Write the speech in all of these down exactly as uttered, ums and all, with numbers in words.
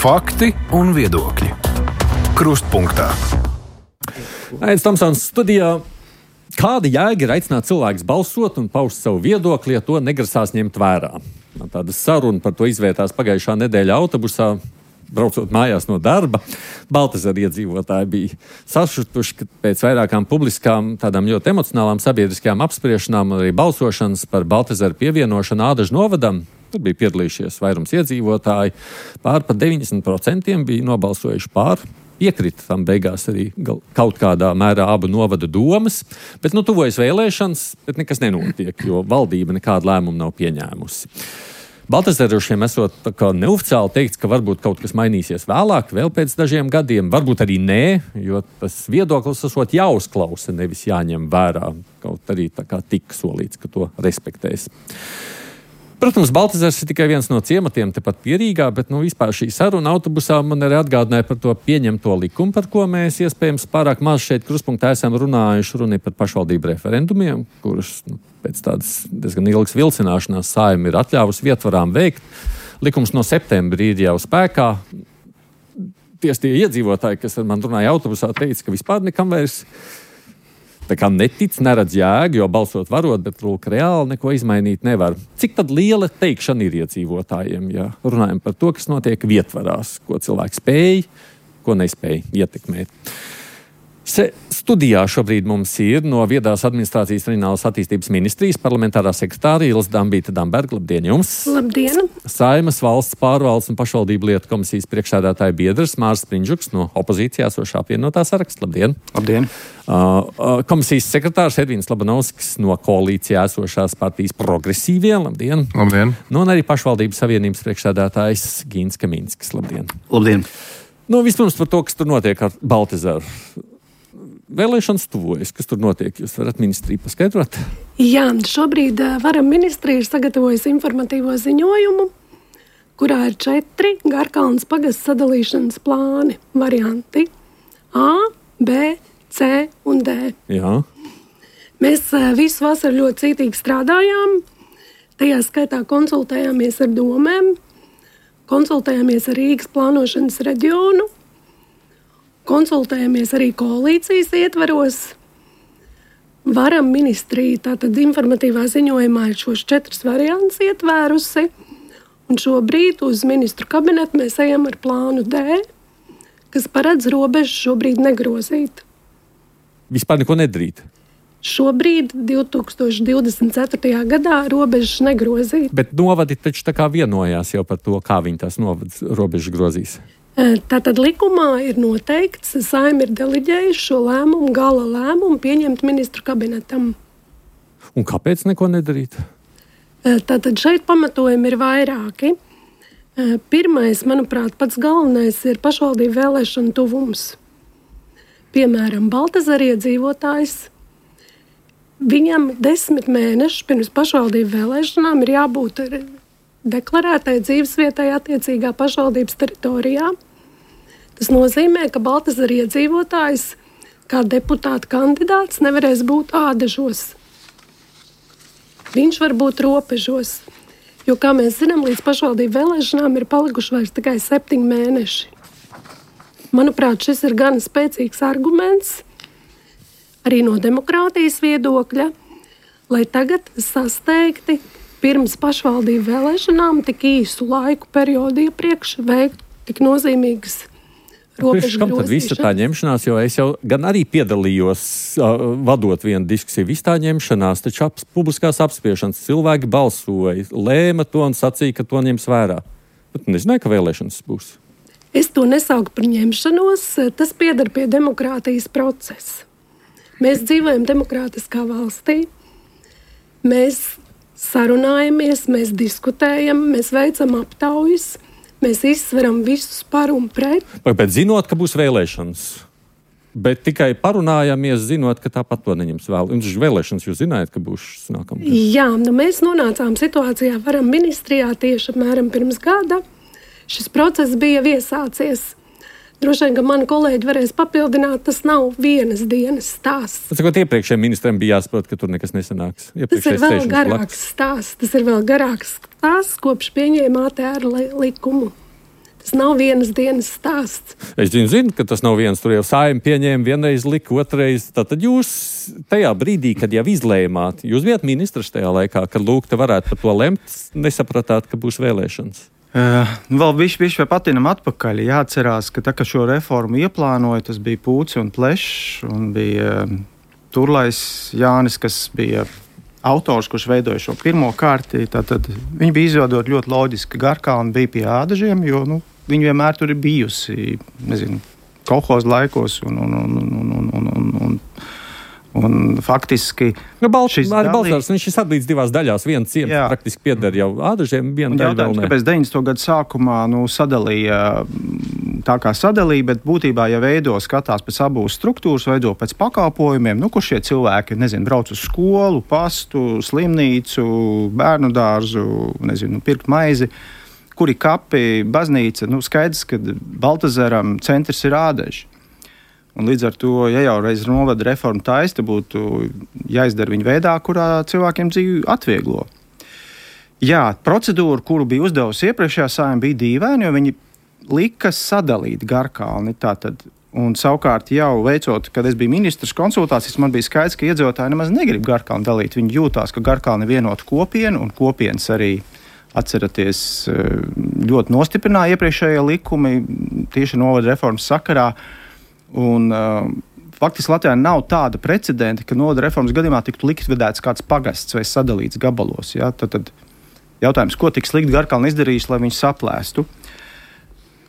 Fakti un viedokļi. Krustpunktā. Ains Tomsons studijā. Kāda jēga ir aicināt cilvēkus balsot un paust savu viedokli, ja to negrasās ņemt vērā? Tāda saruna par to izvērtās pagājušā nedēļa autobusā, braucot mājās no darba. Baltezera iedzīvotāji bija sašutuši, ka pēc vairākām publiskām, tādām ļoti emocionālām sabiedriskajām apspriešanām un arī balsošanas par Baltezeru pievienošanu Ādažu novadam, tur bija piedalījušies vairums iedzīvotāji, pār par deviņdesmit procentiem bija nobalsojuši pār. Piekrita tam beigās arī kaut kādā mērā abu novadu domas, bet nu tuvojas vēlēšanas, bet nekas nenotiek, jo valdība nekādu lēmumu nav pieņēmusi. Baltezerušiem esot tā kā neoficiāli teikts, ka varbūt kaut kas mainīsies vēlāk, vēl pēc dažiem gadiem, varbūt arī nē, jo tas viedoklis esot jāuzklausa, nevis jāņem vērā, kaut arī tā kā tika solīts, ka to respektēs. Protams, Baltezers ir tikai viens no ciematiem tepat pie Rīgā, bet nu, vispār šī saruna autobusā man arī atgādināja par to pieņemto likumu, par ko mēs iespējams pārāk maz šeit Krustpunktā esam runājuši, runa par pašvaldību referendumiem, kurus nu, pēc tādas diezgan ilgas vilcināšanās Saeima ir atļāvusi vietvarām veikt. Likums no septembra ir jau spēkā. Tieši tie iedzīvotāji, kas ar man runāja autobusā, teica, ka vispār nekam vairs tā kā netic, neredz jēgu, jo balsot varot, bet lūk, reāli neko izmainīt nevar. Cik tad liela teikšana ir iedzīvotājiem, ja runājam par to, kas notiek vietvarās, ko cilvēki spēj, ko nespēj ietekmēt? Se, studijā šobrīd mums ir no Viedās administrācijas reģionālās attīstības ministrijas parlamentārā sekretāra Ilze Dambīta Damberga. Labdien jums! Labdien! Saimas valsts pārvaldes un pašvaldību lietu komisijas priekšsēdētāja biedrs Mārs Sprindžuks no opozīcijā esošā apvienotā saraksta. Labdien! Labdien! Uh, komisijas sekretārs Edvins Labanovskis no koalīcijā esošās partijas Progresīvie. Labdien! Labdien! Nu, un arī pašvaldības savienības priekšsēdētājs Gīns Kaminskis. Labdien! Labdien! Nu, vispirms par to, kas tur notiek ar Baltezeru. Vēlēšanas tuvojas, kas tur notiek? Jūs varat ministriju paskaidrot? Jā, šobrīd varam ministrija ir sagatavojusi informatīvo ziņojumu, kurā ir četri Garkalnes pagasts sadalīšanas plāni varianti A, B, C un D. Jā. Mēs visu vasaru ļoti cītīgi strādājām, tajā skaitā konsultējāmies ar domēm, konsultējāmies ar Rīgas plānošanas reģionu, konsultējamies arī koalīcijas ietvaros. Varam ministrija tātad informatīvā ziņojumā ir šos četrus variantus ietvērusi, un šobrīd uz ministru kabinetu mēs ejam ar plānu D, kas paredz robežu šobrīd negrozīt. Vispār neko nedarīt? Šobrīd, divi tūkstoši divdesmit ceturtajā gadā, robežas negrozīt. Bet novadi taču tā kā vienojās jau par to, kā viņi tās novadas robežas grozīs. Tātad likumā ir noteikts, Saeima ir deleģējuši šo lēmumu, gala lēmumu pieņemt ministru kabinetam. Un kāpēc neko nedarīt? Tātad šeit pamatojumi ir vairāki. Pirmais, manuprāt, pats galvenais ir pašvaldību vēlēšanu tuvums. Piemēram, Baltezera iedzīvotājs. Viņam desmit mēnešus pirms pašvaldību vēlēšanām ir jābūt ar deklarētai dzīvesvietai attiecīgā pašvaldības teritorijā. Tas nozīmē, ka Baltezera iedzīvotājs kā deputāta kandidāts nevarēs būt Ādažos. Viņš var būt Robežos, jo, kā mēs zinām, līdz pašvaldību vēlēšanām ir palikuši vairs tikai septiņi mēneši. Manuprāt, šis ir gan spēcīgs arguments, arī no demokrātijas viedokļa, lai tagad sasteigti pirms pašvaldību vēlēšanām tik īsu laiku periodu iepriekš veikt tik nozīmīgas robežu grozīšanas. Kam tad visa tā ņemšanās, jo es jau gan arī piedalījos uh, vadot vienu diskusiju, visa tā ņemšanās, taču ap, publiskās apspiešanas cilvēki balsoja, lēma to un sacīja, ka to ņems vērā. Bet nezināju, ka vēlēšanas būs. Es to nesauku par ņemšanos, tas pieder pie demokrātijas procesa. Mēs dzīvojam demokrātiskā valstī, mēs sarunājamies, mēs diskutējam, mēs veicam aptaujas, mēs izsveram visus par un pret. Bet zinot, ka būs vēlēšanas, bet tikai parunājamies, zinot, ka tāpat to neņems vēl. Un vēlēšanas jūs zinājāt, ka būs nākamais. Jā, nu mēs nonācām situācijā varam ministrijā tieši apmēram pirms gada. Šis process bija iesācies. Droši vien, ka mani kolēģi varēs papildināt, tas nav vienas dienas stāsts. Sakot, iepriekšējiem ministriem bija jāsaprot, ka tur nekas nesanāks. Tas ir vēl garāks stāsts. Tas ir vēl garāks stāsts, kopš pieņēma A T R likumu. Tas nav vienas dienas stāsts. Es zinu, zinu, ka tas nav viens. Tur jau Saeima pieņēma, vienreiz lika, otrreiz. Tātad jūs tajā brīdī, kad jau izlēmāt, jūs bijat ministrs tajā laikā, kad lūk, te varētu par to lemt, nesapratāt, ka būs vēlēšanas. Uh, vēl bišķi, bišķi vai patinam atpakaļ. Jāatcerās, ka tā, ka šo reformu ieplānoja, tas bija Pūci un Plešs, un bija uh, Turlais Jānis, kas bija autors, kurš veidoja šo pirmo kārti. Tātad viņi bija izveidot ļoti loģiski. Garkalna bija pie Ādažiem, jo nu, viņi vienmēr tur ir bijusi, nezinu, kolhozu laikos un, un, un, un, un, un, un, un, un faktiski nu, Bal- šis Arī dalī... Balsārs, viņš ir sadalīts divās daļās. Viens ciems Jā. praktiski pieder jau Ādažiem, viena daļa vēl ne. Kāpēc deviņdesmito gadu sākumā nu, sadalīja tā kā sadalīja, bet būtībā, ja veido skatās pēc abūs struktūras, veido pēc pakalpojumiem, nu, kur šie cilvēki, nezinu, brauc uz skolu, pastu, slimnīcu, bērnu dārzu, nezinu, pirkt maizi, kuri kapi, baznīca, nu, skaidrs, ka Baltazaram centrs ir Ādaži. Un līdz ar to, ja jau reiz novada reforma taisa, būtu jāizdara viņa veidā, kurā cilvēkiem dzīvi atvieglo. Jā, procedūra, kuru bija uzdevusi iepriekšējā Saeima, bija dīvaina, jo viņi lika sadalīt Garkalni. Tātad, un savukārt jau veicot, kad es biju ministrs konsultācijas, man bija skaidrs, ka iedzīvotāji nemaz negrib Garkalni dalīt. Viņi jūtās, ka Garkalni ir vienota kopiena, un kopienas arī, atceraties, ļoti nostiprināja iepriekšējie likumi tieši novada reformas sakarā. Un, uh, faktiski Latvijā nav tāda precedenta, ka novada reformas gadījumā tiktu likvidēts kāds pagasts vai sadalīts gabalos. Ja? Tad, tad jautājums, ko tik slikti Garkalna izdarījis, lai viņš saplēstu.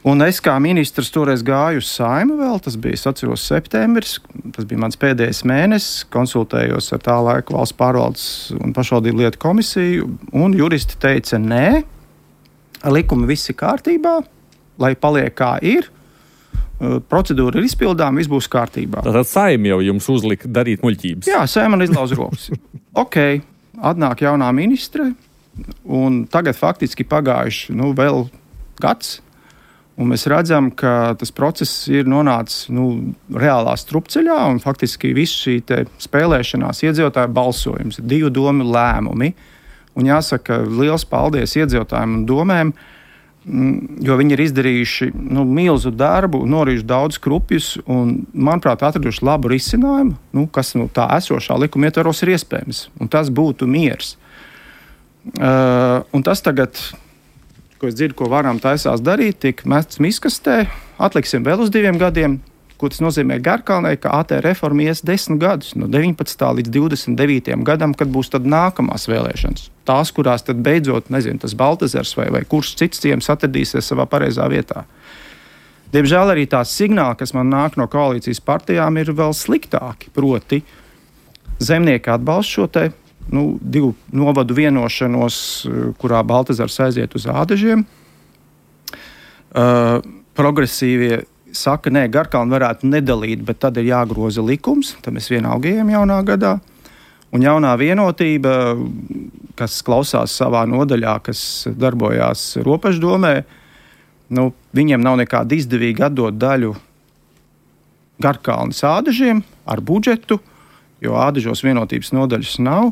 Un es kā ministrs toreiz gāju uz Saeimu vēl, tas bija, es atceros, septembris, tas bija mans pēdējais mēnesis, konsultējos ar tā laika valsts pārvaldes un pašvaldību lietu komisiju, un juristi teica, nē, likumi viss ir kārtībā, lai paliek kā ir. Procedūra ir izpildāma, viss būs kārtībā. Tātad Saeima jau jums uzlika darīt muļķības. Jā, Saeima man izlauz rokas. Ok, atnāk jaunā ministre, un tagad faktiski pagājuši nu, vēl gads, un mēs redzam, ka tas process ir nonācis nu, reālā strupceļā, un faktiski viss šī te spēlēšanās iedzīvotāju balsojums, divu domu lēmumi, un jāsaka liels paldies iedzīvotājiem un domēm, jo viņi ir izdarījuši nu, milzu darbu, norījuši daudz krupjus un, manuprāt, atraduši labu risinājumu, nu, kas nu, tā esošā likuma ietvaros ir iespējams. Un tas būtu miers. Uh, un tas tagad, ko es dzirdu, ko varam taisās darīt, tiek mests miskastē, atliksim vēl uz diviem gadiem, ko tas nozīmē Garkalnai, ka A T reforma ies desmit gadus, no deviņpadsmitā līdz divdesmit devītajam gadam, kad būs tad nākamās vēlēšanas. Tās, kurās tad beidzot, nezinu, tas Baltazars vai, vai kurš cits ciems atradīsies savā pareizā vietā. Diemžēl arī tās signāli, kas man nāk no koalīcijas partijām, ir vēl sliktāki. Proti, zemnieki atbalsta šo te nu, divu novadu vienošanos, kurā Baltazars aiziet uz Ādažiem. Uh, progresīvie saka, nē, Garkalnu varētu nedalīt, bet tad ir jāgroza likums. Tad mēs vienalga ejam jaunā gadā. Un jaunā vienotība, kas klausās savā nodaļā, kas darbojās Ropaždomē, nu, viņiem nav nekāda izdevīga atdot daļu Garkalnes Ādažiem ar budžetu, jo Ādažos vienotības nodaļas nav.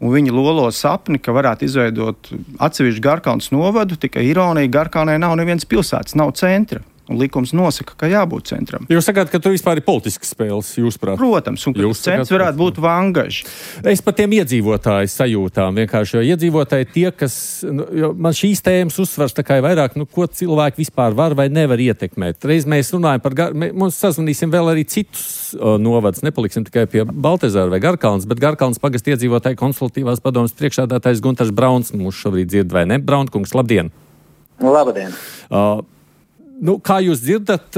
Un viņi lolo sapni, ka varētu izveidot atsevišķu Garkalnes novadu, tikai ironija, Garkalnē nav nevienas pilsētas, nav centra. Un likums nosaka, ka jābūt centram. Jūs sakāt, ka tur vispār ir politiskas spēles, jūsuprāt? Protams, un ka centrs varētu būt Vangaži. Es par tiem iedzīvotāju sajūtām vienkārši, jo iedzīvotāji tie, kas, jo man šīs tēmas uzsvars tā kā ir vairāk, nu, ko cilvēki vispār var vai nevar ietekmēt. Reiz mēs runājam par, gar... mums sazvanīsim vēl arī citus uh, novadus, nepaliksim tikai pie Baltazara vai Garkalnas, bet Garkalnas pagasta iedzīvotāju konsultatīvās padomas priekšsēdētājs Guntars Brauns mūs šobrīd dzird, vai ne? Braunkungs, labdien! Labdien! Uh, Nu, kā jūs dzirdat,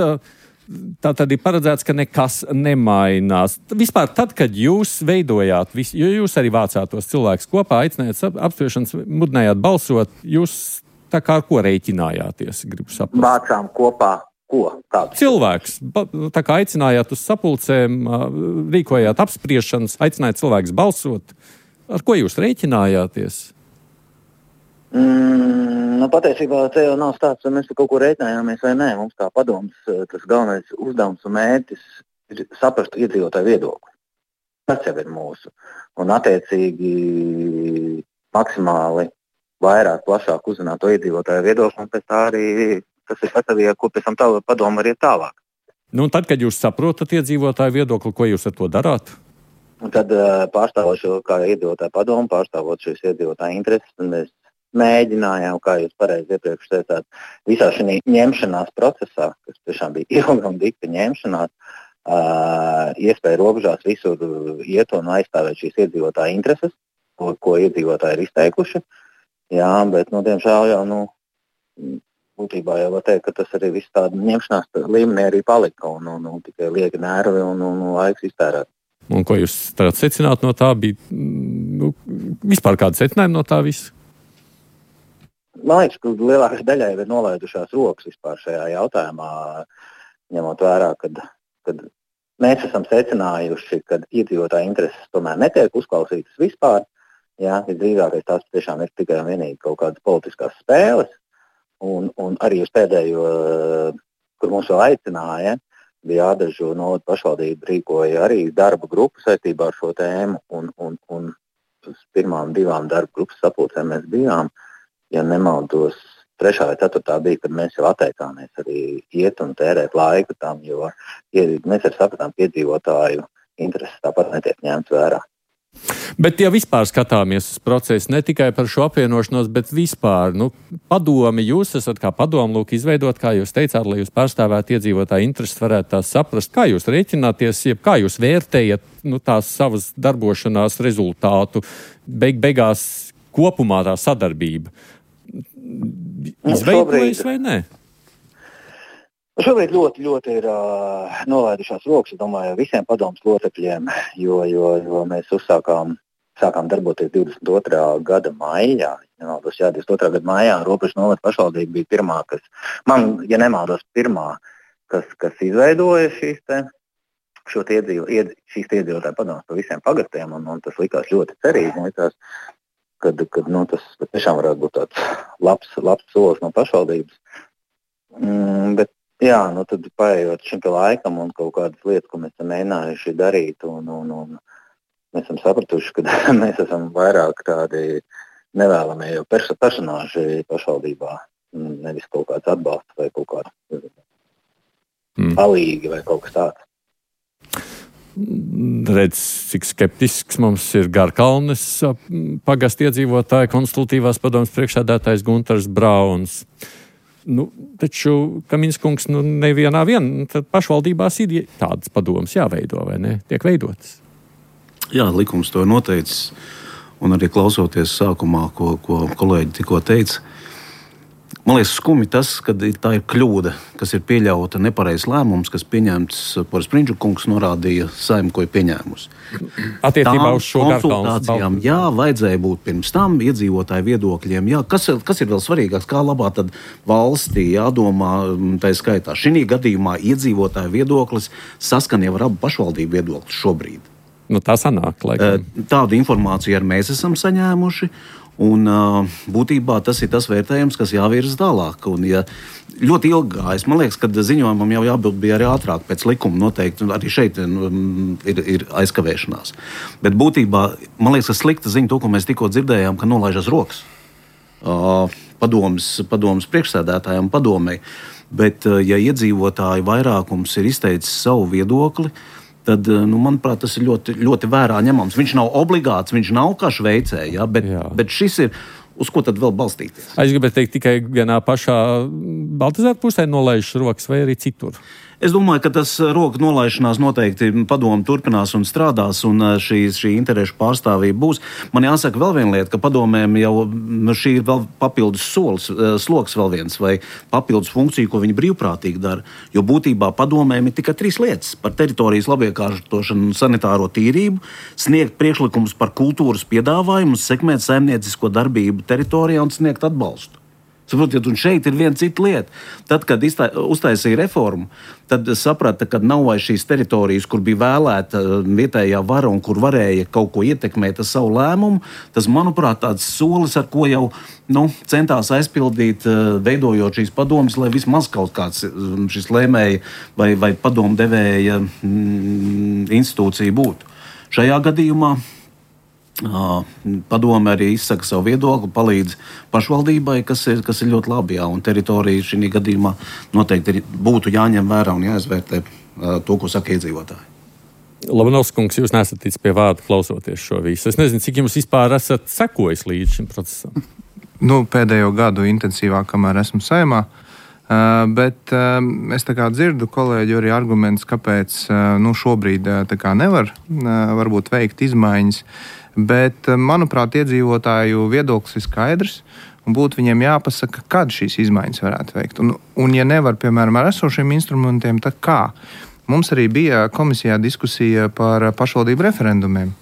tā tad ir paredzēts, ka nekas nemainās. Vispār tad, kad jūs veidojāt, jo jūs arī vācāt tos cilvēkus kopā, aicinājāt apspriešanas, mudinājāt balsot, jūs tā kā ar ko rēķinājāties, gribu saprast? Vācām kopā ko? Kādu? Cilvēks. Tā kā aicinājāt uz sapulcēm, rīkojāt apspriešanas, aicinājāt cilvēkus balsot. Ar ko jūs rēķinājāties? Mm, nu, patiesībā te jau nav stāsts, vai mēs kaut ko rēķinājāmies vai nē. Mums kā padoms tas galvenais uzdevums un mērķis ir saprast iedzīvotāju viedokli. Tas jau ir mūsu. Un attiecīgi maksimāli vairāk, plašāk uzzināt to iedzīvotāju viedokli un pēc tā arī kas ir gatavi, ko pēc tam tā padoma var iet tālāk. Nu, un tad, kad jūs saprotat iedzīvotāju viedokli, ko jūs ar to darāt? Un tad pārstāvot šo, kā iedzīvotāju padomu, pārstāvot šīs iedzīvotāju intereses, un mēs mēģinājām, kā jūs pareizi iepriekš teicāt, visā šī ņemšanās procesā, kas tiešām bija ilga un dikta ņemšanās, uh, iespēja robežās visur iet un aizstāvēt šīs iedzīvotāju intereses, ko, ko iedzīvotāji ir izteikuši. Jā, bet, nu, diemžēl jau, nu, būtībā jau var teikt, ka tas arī viss tāda ņemšanās līmenī arī palika un, un, un tikai lieki nervi un, un, un laiks iztērēt. Un ko jūs tagad secināt no tā? Bija, nu, vispār kāda secinājuma no tā visa? Man liekas, ka lielākai daļai ir nolaidušās rokas vispār šajā jautājumā, ņemot vērā, kad, kad mēs esam secinājuši, ka iedzīvotāju intereses tomēr netiek uzklausītas vispār. Jā, visdrīzākais tās tiešām ir tikai un vienīgi kaut kādas politiskās spēles. Un, un arī uz pēdējo, kur mums vēl aicināja, bija Ādažu novada pašvaldība rīkoja arī darba grupu saistībā ar šo tēmu. Un, un, un uz pirmām divām darba grupas sapulcēm mēs bijām. Ja nemaldos, trešā vai ceturtā bija, kad mēs jau atteicāmies arī iet un tērēt laiku tam, jo mēs arī sapratām, ka iedzīvotāju intereses tāpat netiek ņemts vērā. Bet, ja vispār skatāmies uz procesu, ne tikai par šo apvienošanos, bet vispār, nu, padomi, jūs esat kā padomu lūk izveidot, kā jūs teicāt, lai jūs pārstāvētu iedzīvotāju intereses, varētu tās saprast, kā jūs rēķināties, jeb kā jūs vērtējat, nu, tās savas darbošanās rezultātu, beig beigās kopumā tā sadarbība. Izveidojas vai nē? Šobrīd ļoti, ļoti ir uh, nolaidušās rokas, es domāju, visiem padomus locekļiem, jo, jo, jo mēs uzsākām, sākām darboties divdesmit otrā gada maijā. Nemaldos, jā, divdesmit otrā gada maijā Robežu novada pašvaldība bija pirmā, kas, man, ja nemaldos, pirmā, kas, kas izveidoja šīs te, šo te iedzīvo, ied, šīs iedzīvotāju padomus par visiem pagatiem, un, un tas likās ļoti cerīgi. Likās, kad, kad nu, tas tiešām varētu būt tāds labs, labs solis no pašvaldības. Mm, bet jā, nu tad paējot šim laikam un kaut kādas lietas, ko mēs esam mēģinājuši darīt, un, un, un mēs esam sapratuši, ka mēs esam vairāk tādi nevēlamie jau perso- personāži pašvaldībā, nevis kaut kāds atbalsts vai kaut kāds mm. palīgi vai kaut kas tāds. Redz, cik skeptisks mums ir Garkalnes pagasta iedzīvotāja konsultīvās padomas priekšsēdētājs Guntars Brauns. Nu, taču Kaminskungs, nu, nevienā vien, tad pašvaldībās ir tādas padomas jāveido, vai ne? Tiek veidotas. Jā, likums to ir noteicis, un arī klausoties sākumā, ko, ko kolēģi tikko teica. Man liekas, skumi tas, ka tā ir kļūda, kas ir pieļauta nepareizs lēmums, kas pieņemts, Poris Prindžukungs norādīja Saeimu, ko ir pieņēmusi. Attiecībā uz šo konsultācijām, jā, vajadzēja būt pirms tam iedzīvotāju viedokļiem. Jā, kas, kas ir vēl svarīgāks, kā labā tad valstī jādomā, tā skaitā. Šī gadījumā iedzīvotāju viedoklis saskan jau ar abu pašvaldību viedokļus šobrīd. Nu, tā sanāk, laikam. Tādu informāciju arī mēs esam saņēmuši. Un būtībā tas ir tas vērtējums, kas jāvirza tālāk. Un, ja ļoti ilgi gājis, man liekas, ka ziņojumam jau jābūt bija arī ātrāk pēc likuma noteikti, un arī šeit ir, ir aizkavēšanās. Bet būtībā, man liekas, ka slikta ziņa to, ko mēs tikko dzirdējām, ka nolaižas rokas padomas, padomas priekšsēdētājiem padomei. Bet, ja iedzīvotāju vairākums ir izteicis savu viedokli, tad, nu, manuprāt, tas ir ļoti, ļoti vērā ņemams. Viņš nav obligāts, viņš nav kā Šveicē, ja, bet, bet šis ir, uz ko tad vēl balstīties? Es gribētu teikt, tikai vienā pašā Baltazāra pusē nolaižas rokas vai arī citur? Es domāju, ka tas roku nolaišanās noteikti padomu turpinās un strādās, un šī, šī interešu pārstāvība būs. Man jāsaka vēl viena lieta, ka padomēm jau nu, šī ir vēl papildus solis, sloks vēl viens, vai papildus funkcija, ko viņi brīvprātīgi dara. Jo būtībā padomēm ir tikai trīs lietas - par teritorijas labiekārtošanu un sanitāro tīrību, sniegt priekšlikumus par kultūras piedāvājumu, sekmēt saimniecisko darbību teritorijā un sniegt atbalstu. Saprotiet, un šeit ir viena cita lieta. Tad, kad iztā, uztaisīja reformu, tad saprata, ka nav vairs šīs teritorijas, kur bija vēlēta vietējā vara un kur varēja kaut ko ietekmēt ar savu lēmumu. Tas, manuprāt, tāds solis, ar ko jau nu, centās aizpildīt, veidojot šīs padomas, lai vismaz kaut kāds šis lēmēja vai, vai padomu devēja mm, institūcija būtu. Šajā gadījumā Padome arī izsaka savu viedokli, palīdz pašvaldībai, kas ir, kas ir ļoti labi. Jā, un teritorija šī gadījumā noteikti būtu jāņem vērā un jāizvērtē to, ko saka iedzīvotāji. Labanovs kungs, jūs nesat ticis pie vārda klausoties šo visu. Es nezinu, cik jums vispār esat sekojis līdz šim procesam. Nu, pēdējo gadu intensīvāk, kamēr esmu Saeimā. Uh, bet uh, es tā kā dzirdu kolēģi arī argumentus, kāpēc uh, nu, šobrīd uh, tā kā nevar uh, varbūt veikt izmaiņas. Bet, uh, manuprāt, iedzīvotāju viedoklis ir skaidrs un būtu viņiem jāpasaka, kad šīs izmaiņas varētu veikt. Un, un ja nevar, piemēram, ar esošiem instrumentiem, tad kā? Mums arī bija komisijā diskusija par pašvaldību referendumiem,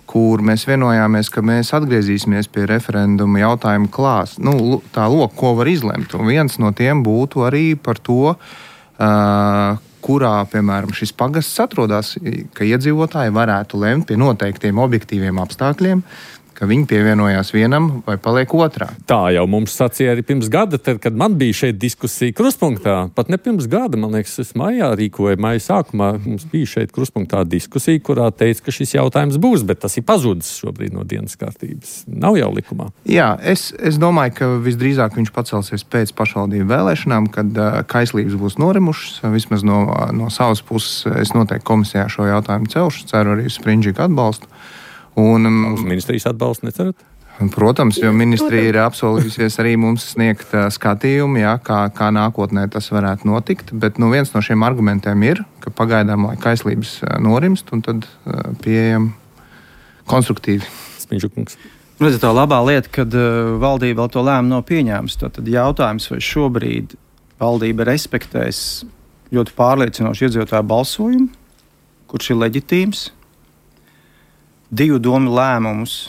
kur mēs vienojāmies, ka mēs atgriezīsimies pie referenduma jautājuma klās. Nu, tā loka, ko var izlemt. Un viens no tiem būtu arī par to, uh, kurā, piemēram, šis pagasts atrodas, ka iedzīvotāji varētu lemt pie noteiktiem objektīviem apstākļiem, ka viņi pievienojās vienam vai paliek otrā. Tā jau mums sacīja arī pirms gada, tad, kad man bija šeit diskusija Kruspunktā. Pat ne pirms gada, man liekas, es maijā rīkoju, maija sākumā mums bija šeit Kruspunktā diskusija, kurā teica, ka šis jautājums būs, bet tas ir pazudis šobrīd no dienas kārtības. Nav jau likumā. Jā, es, es domāju, ka visdrīzāk viņš pacelsies pēc pašvaldību vēlēšanām, kad uh, kaislības būs norimušas. Vismaz no, no savas puses es noteikti komisijā šo jautājumu celšu, ceru arī uz Sprindžiku atbalstu. Un, Uz ministrijas atbalstu necerat? Protams, jo ministrija ir apsolījusies arī mums sniegt uh, skatījumu, jā, kā, kā nākotnē tas varētu notikt. Bet nu, viens no šiem argumentiem ir, ka pagaidām, lai kaislības uh, norimst, un tad uh, pieejam konstruktīvi. Spindžukungs. Redziet, tā labā lieta, kad uh, valdība vēl to lēmumu nav pieņēmusi. Tad jautājums, vai šobrīd valdība respektēs ļoti pārliecinošu iedzīvotāju balsojumu, kurš ir leģitīms, divu domu lēmumus,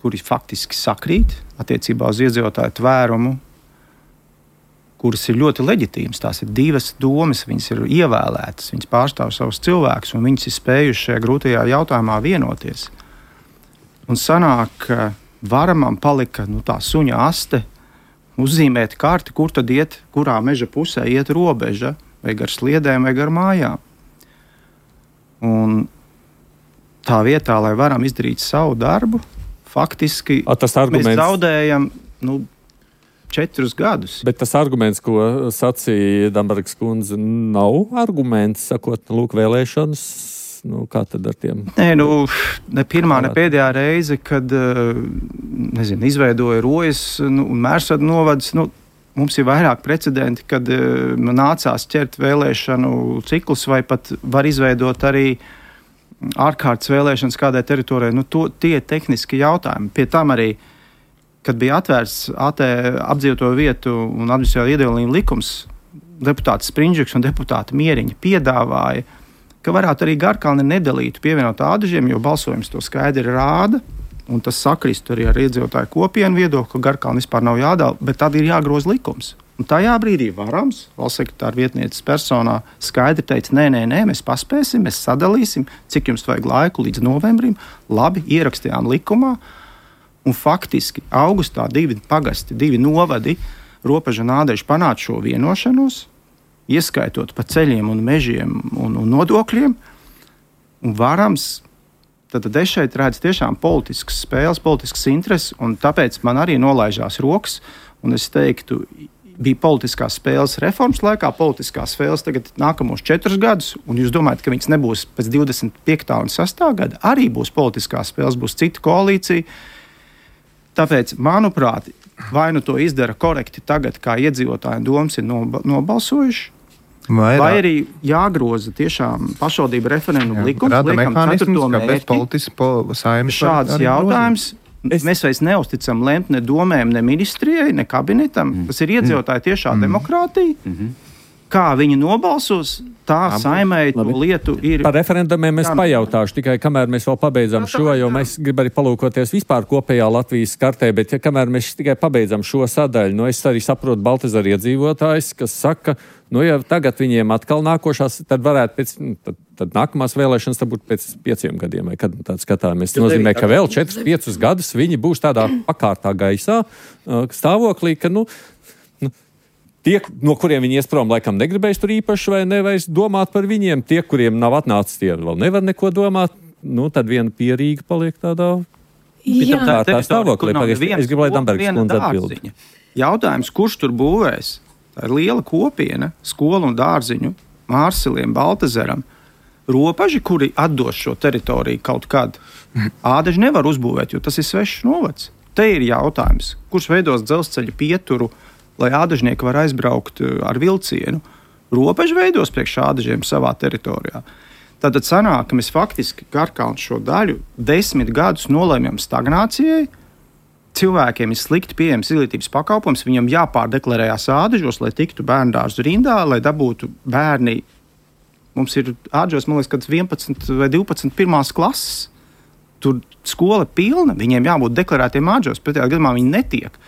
kuri faktiski sakrīt attiecībā uz iedzīvotāju tvērumu, kuras ir ļoti leģitīmas. Tās ir divas domas, viņas ir ievēlētas, viņas pārstāv savus cilvēkus, un viņas ir spējušas šajā grūtajā jautājumā vienoties. Un sanāk, ka varamam palika nu, tā suņa aste, uzzīmēt karti, kur tad iet, kurā meža pusē iet robeža, vai gar sliedēm, vai gar mājām. Un tā vietā, lai varam izdarīt savu darbu, faktiski A, tas arguments... mēs zaudējam nu, četrus gadus. Bet tas arguments, ko sacīja Dambergas kundze, nav arguments, sakot, lūk, vēlēšanas. Nu, kā tad ar tiem? Nē, nu, ne pirmā, ne pēdējā reize, kad nezinu, izveidoja Rojas nu, un Mērsvada novads, nu, mums ir vairāk precedenti, kad nācās ķert vēlēšanu ciklus vai pat var izveidot arī ārkārtas vēlēšanas kādai teritorijai, nu, to, tie tehniski jautājumi. Pie tam arī, kad bija atvērts A T apdzīvoto vietu un administratīvā iedalījuma likums, deputāts Sprindžiks un deputāta Mieriņa piedāvāja, ka varētu arī Garkalni nedalītu pievienot ādažiem, jo balsojums to skaidri rāda, un tas sakrist arī ar iedzīvotāju kopienu viedokli, ka Garkalni vispār nav jādala, bet tad ir jāgroza likums. Un tajā brīdī Varams, valsts sekretāra vietnieces personā, skaidri teica, nē, nē, nē, mēs paspēsim, mēs sadalīsim, cik jums vajag laiku līdz novembrim. Labi, ierakstījām likumā, un faktiski augustā divi pagasti, divi novadi, Robeža un Ādeži panāca šo vienošanos, ieskaitot pa ceļiem un mežiem un, un nodokļiem, un Varams, tad, tad es šeit redzu tiešām politiskas spēles, politiskas intereses, un tāpēc man arī nolaižās rokas, un es teiktu, bija politiskās spēles reformas laikā, politiskās spēles tagad nākamos četrus gadus, un jūs domājat, ka viņas nebūs pēc divdesmit piektā un sestā gada, arī būs politiskās spēles, būs cita koalīcija. Tāpēc, manuprāt, vai nu to izdara korekti tagad, kā iedzīvotāji domas ir nobalsojuši, Vairāk. vai arī jāgroza tiešām pašvaldību referendumu likums, rada mehānismus, kāpēc politiski po, Saeimas šāds jautājums. Es... Mēs vairs neusticam lemt ne domēm, ne ministrijai, ne kabinetam. Mm. Tas ir iedzīvotāji tiešā mm. demokrātija. Mm-hmm. Kā viņi nobalsos, tā Saeimai to lietu ir. Par referendumiem es pajautāšu tikai, kamēr mēs vēl pabeidzam jā, šo, jo mēs gribam arī palūkoties vispār kopējā Latvijas kartē, bet ja kamēr mēs tikai pabeidzam šo sadaļu, nu es arī saprotu Baltezara iedzīvotājs, kas saka, nu ja tagad viņiem atkal nākošās, tad varētu pēc, tad, tad nākamās vēlēšanas tad būtu pēc pieciem gadiem, vai kad tāds skatāmies. Tas nozīmē, ka vēl četrus, piecus gadus viņi būs tādā pakārtā gaisā stāvoklī, ka, nu, nu tie, no kuriem viņi ies prom, laikam negribēs tur īpaši vai nevajag domāt par viņiem. Tie, kuriem nav atnācis, tie vēl nevar neko domāt. Nu, tad viena pierīga paliek tādā Jā, tā, tā stāvoklī. Kur nav Pagaid, neviens es gribu, lai koka, Dambergs viena kundze atbild. dārziņa. Jautājums, kurš tur būvēs? Tā ir liela kopiena, skolu un dārziņu, Mārsiliem, Baltazaram. Ropaži, kuri atdos šo teritoriju kaut kad, Ādaži nevar uzbūvēt, jo tas ir svešs novads. Te ir jautājums, kurš veidos dzelzceļa pieturu, lai ādažnieki var aizbraukt ar vilcienu. Ropaži veidos priekš ādažiem savā teritorijā. Tātad sanāk, ka mēs faktiski Garkalnu šo daļu desmit gadus nolēmjam stagnācijai. Cilvēkiem ir slikti pieejams izglītības pakalpojums, viņam jāpārdeklarējās ādažos, lai tiktu bērndārzu rindā, lai dabūtu bērni. Mums ir ādažos, man liekas, kad vienpadsmit vai divpadsmit pirmās klases. Tur skola pilna, viņiem jābūt deklarētiem ādažos, pretējā gadījumā viņi netiek.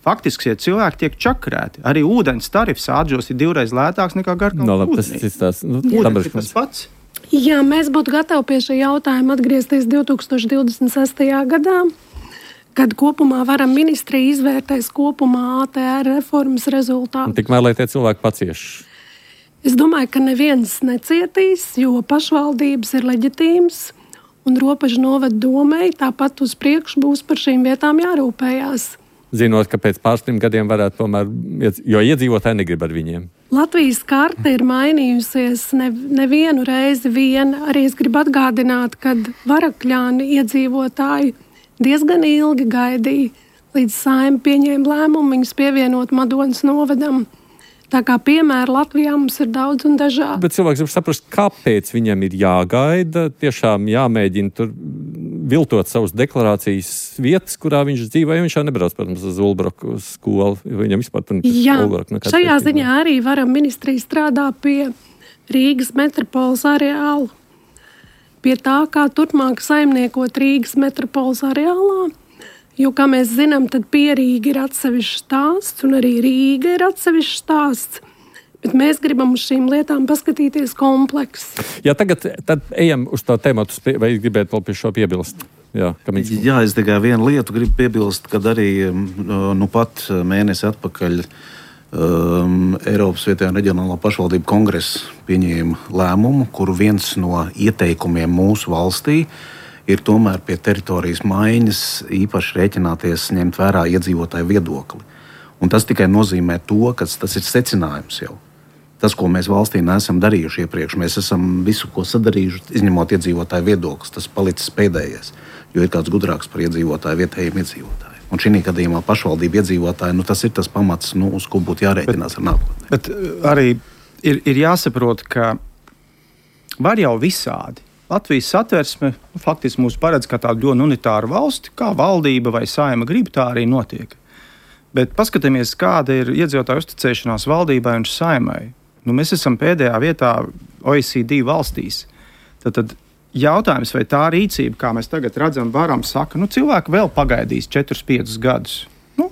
Faktiski, ja cilvēki tiek čakrēti, arī ūdens tarifs ādažos ir divreiz lētāks nekā Garkalnu No, labi, ūdenī. tas, tas, nu, Ūdens ir tas pats. Jā, mēs būtu gatavi pie šī jautājuma atgriezties divtūkstoš divdesmit sestajā gadā, kad kopumā varam ministrija izvērtēs kopumā A T R reformas rezultātu. Tikmēr, lai tie cilvēki pacieš. Es domāju, ka neviens necietīs, jo pašvaldības ir leģitīmas un Ropažu novada domei tāpat uz priekšu būs par šīm vietām jārūpējās. Zinot, ka pēc pāris trim gadiem varētu tomēr, jo iedzīvotāji negrib ar viņiem. Latvijas karte ir mainījusies ne, nevienu reizi vien. Arī es gribu atgādināt, kad Varakļāni iedzīvotāji diezgan ilgi gaidīja, līdz Saeima pieņēma lēmumu viņus pievienot Madonas novadam. Tā kā piemēra Latvijā mums ir daudz un dažādi. Bet cilvēks grib saprast, kāpēc viņam ir jāgaida, tiešām jāmēģina tur viltot savas deklarācijas vietas, kurā viņš dzīvo, ja viņš jau nebrauc, protams, uz Ulbroku skolu. Viņam vispār tur Jā, Ulbroku nekāds šajā pēcībā. ziņā arī varam ministrija strādā pie Rīgas metropoles areāla, pie tā, kā turpmāk saimniekot Rīgas metropoles areālā. Jo, kā mēs zinām, tad Pierīga ir atsevišķs stāsts un arī Rīga ir atsevišķs stāsts. Bet mēs gribam uz šīm lietām paskatīties kompleksi. Jā, tagad tad ejam uz to tēmatu, vai gribētu vēl pie šo piebilst? Jā, Kamiņš. Jā, es tikai vienu lietu gribu piebilst, kad arī nu pat mēnesi atpakaļ um, Eiropas vietējā un reģionālā pašvaldību kongress pieņēma lēmumu, kuru viens no ieteikumiem mūsu valstī ir tomēr pie teritorijas maiņas īpaši rēķināties, ņemt vērā iedzīvotāju viedokli. Un tas tikai nozīmē to, ka tas ir secinājums jau. Tas, ko mēs valstī neesam darījuši iepriekš, mēs esam visu, ko sadarījuši, izņemot iedzīvotāju viedoklis, tas palicis pēdējais, jo ir kāds gudrāks par iedzīvotāju, vietējiem iedzīvotājiem. Un šī gadījumā pašvaldība iedzīvotāji, nu tas ir tas pamats, nu, uz ko būtu jārēķinās bet, ar nākotnē. Bet arī ir, ir jāsaprot, ka var jau visādi. Latvijas satversme nu, faktiski mūs paredz kā tādu ļoti unitāru valsti, kā valdība vai Saeima grib, tā arī notiek. Bet paskatāmies, kāda ir iedzīvotāju uzticēšanās valdībai un Saeimai. Nu, mēs esam pēdējā vietā O E C D valstīs. Tad, tad jautājums, vai tā rīcība, kā mēs tagad redzam, varam saka, nu, cilvēki vēl pagaidīs četrus piecus gadus. Nu,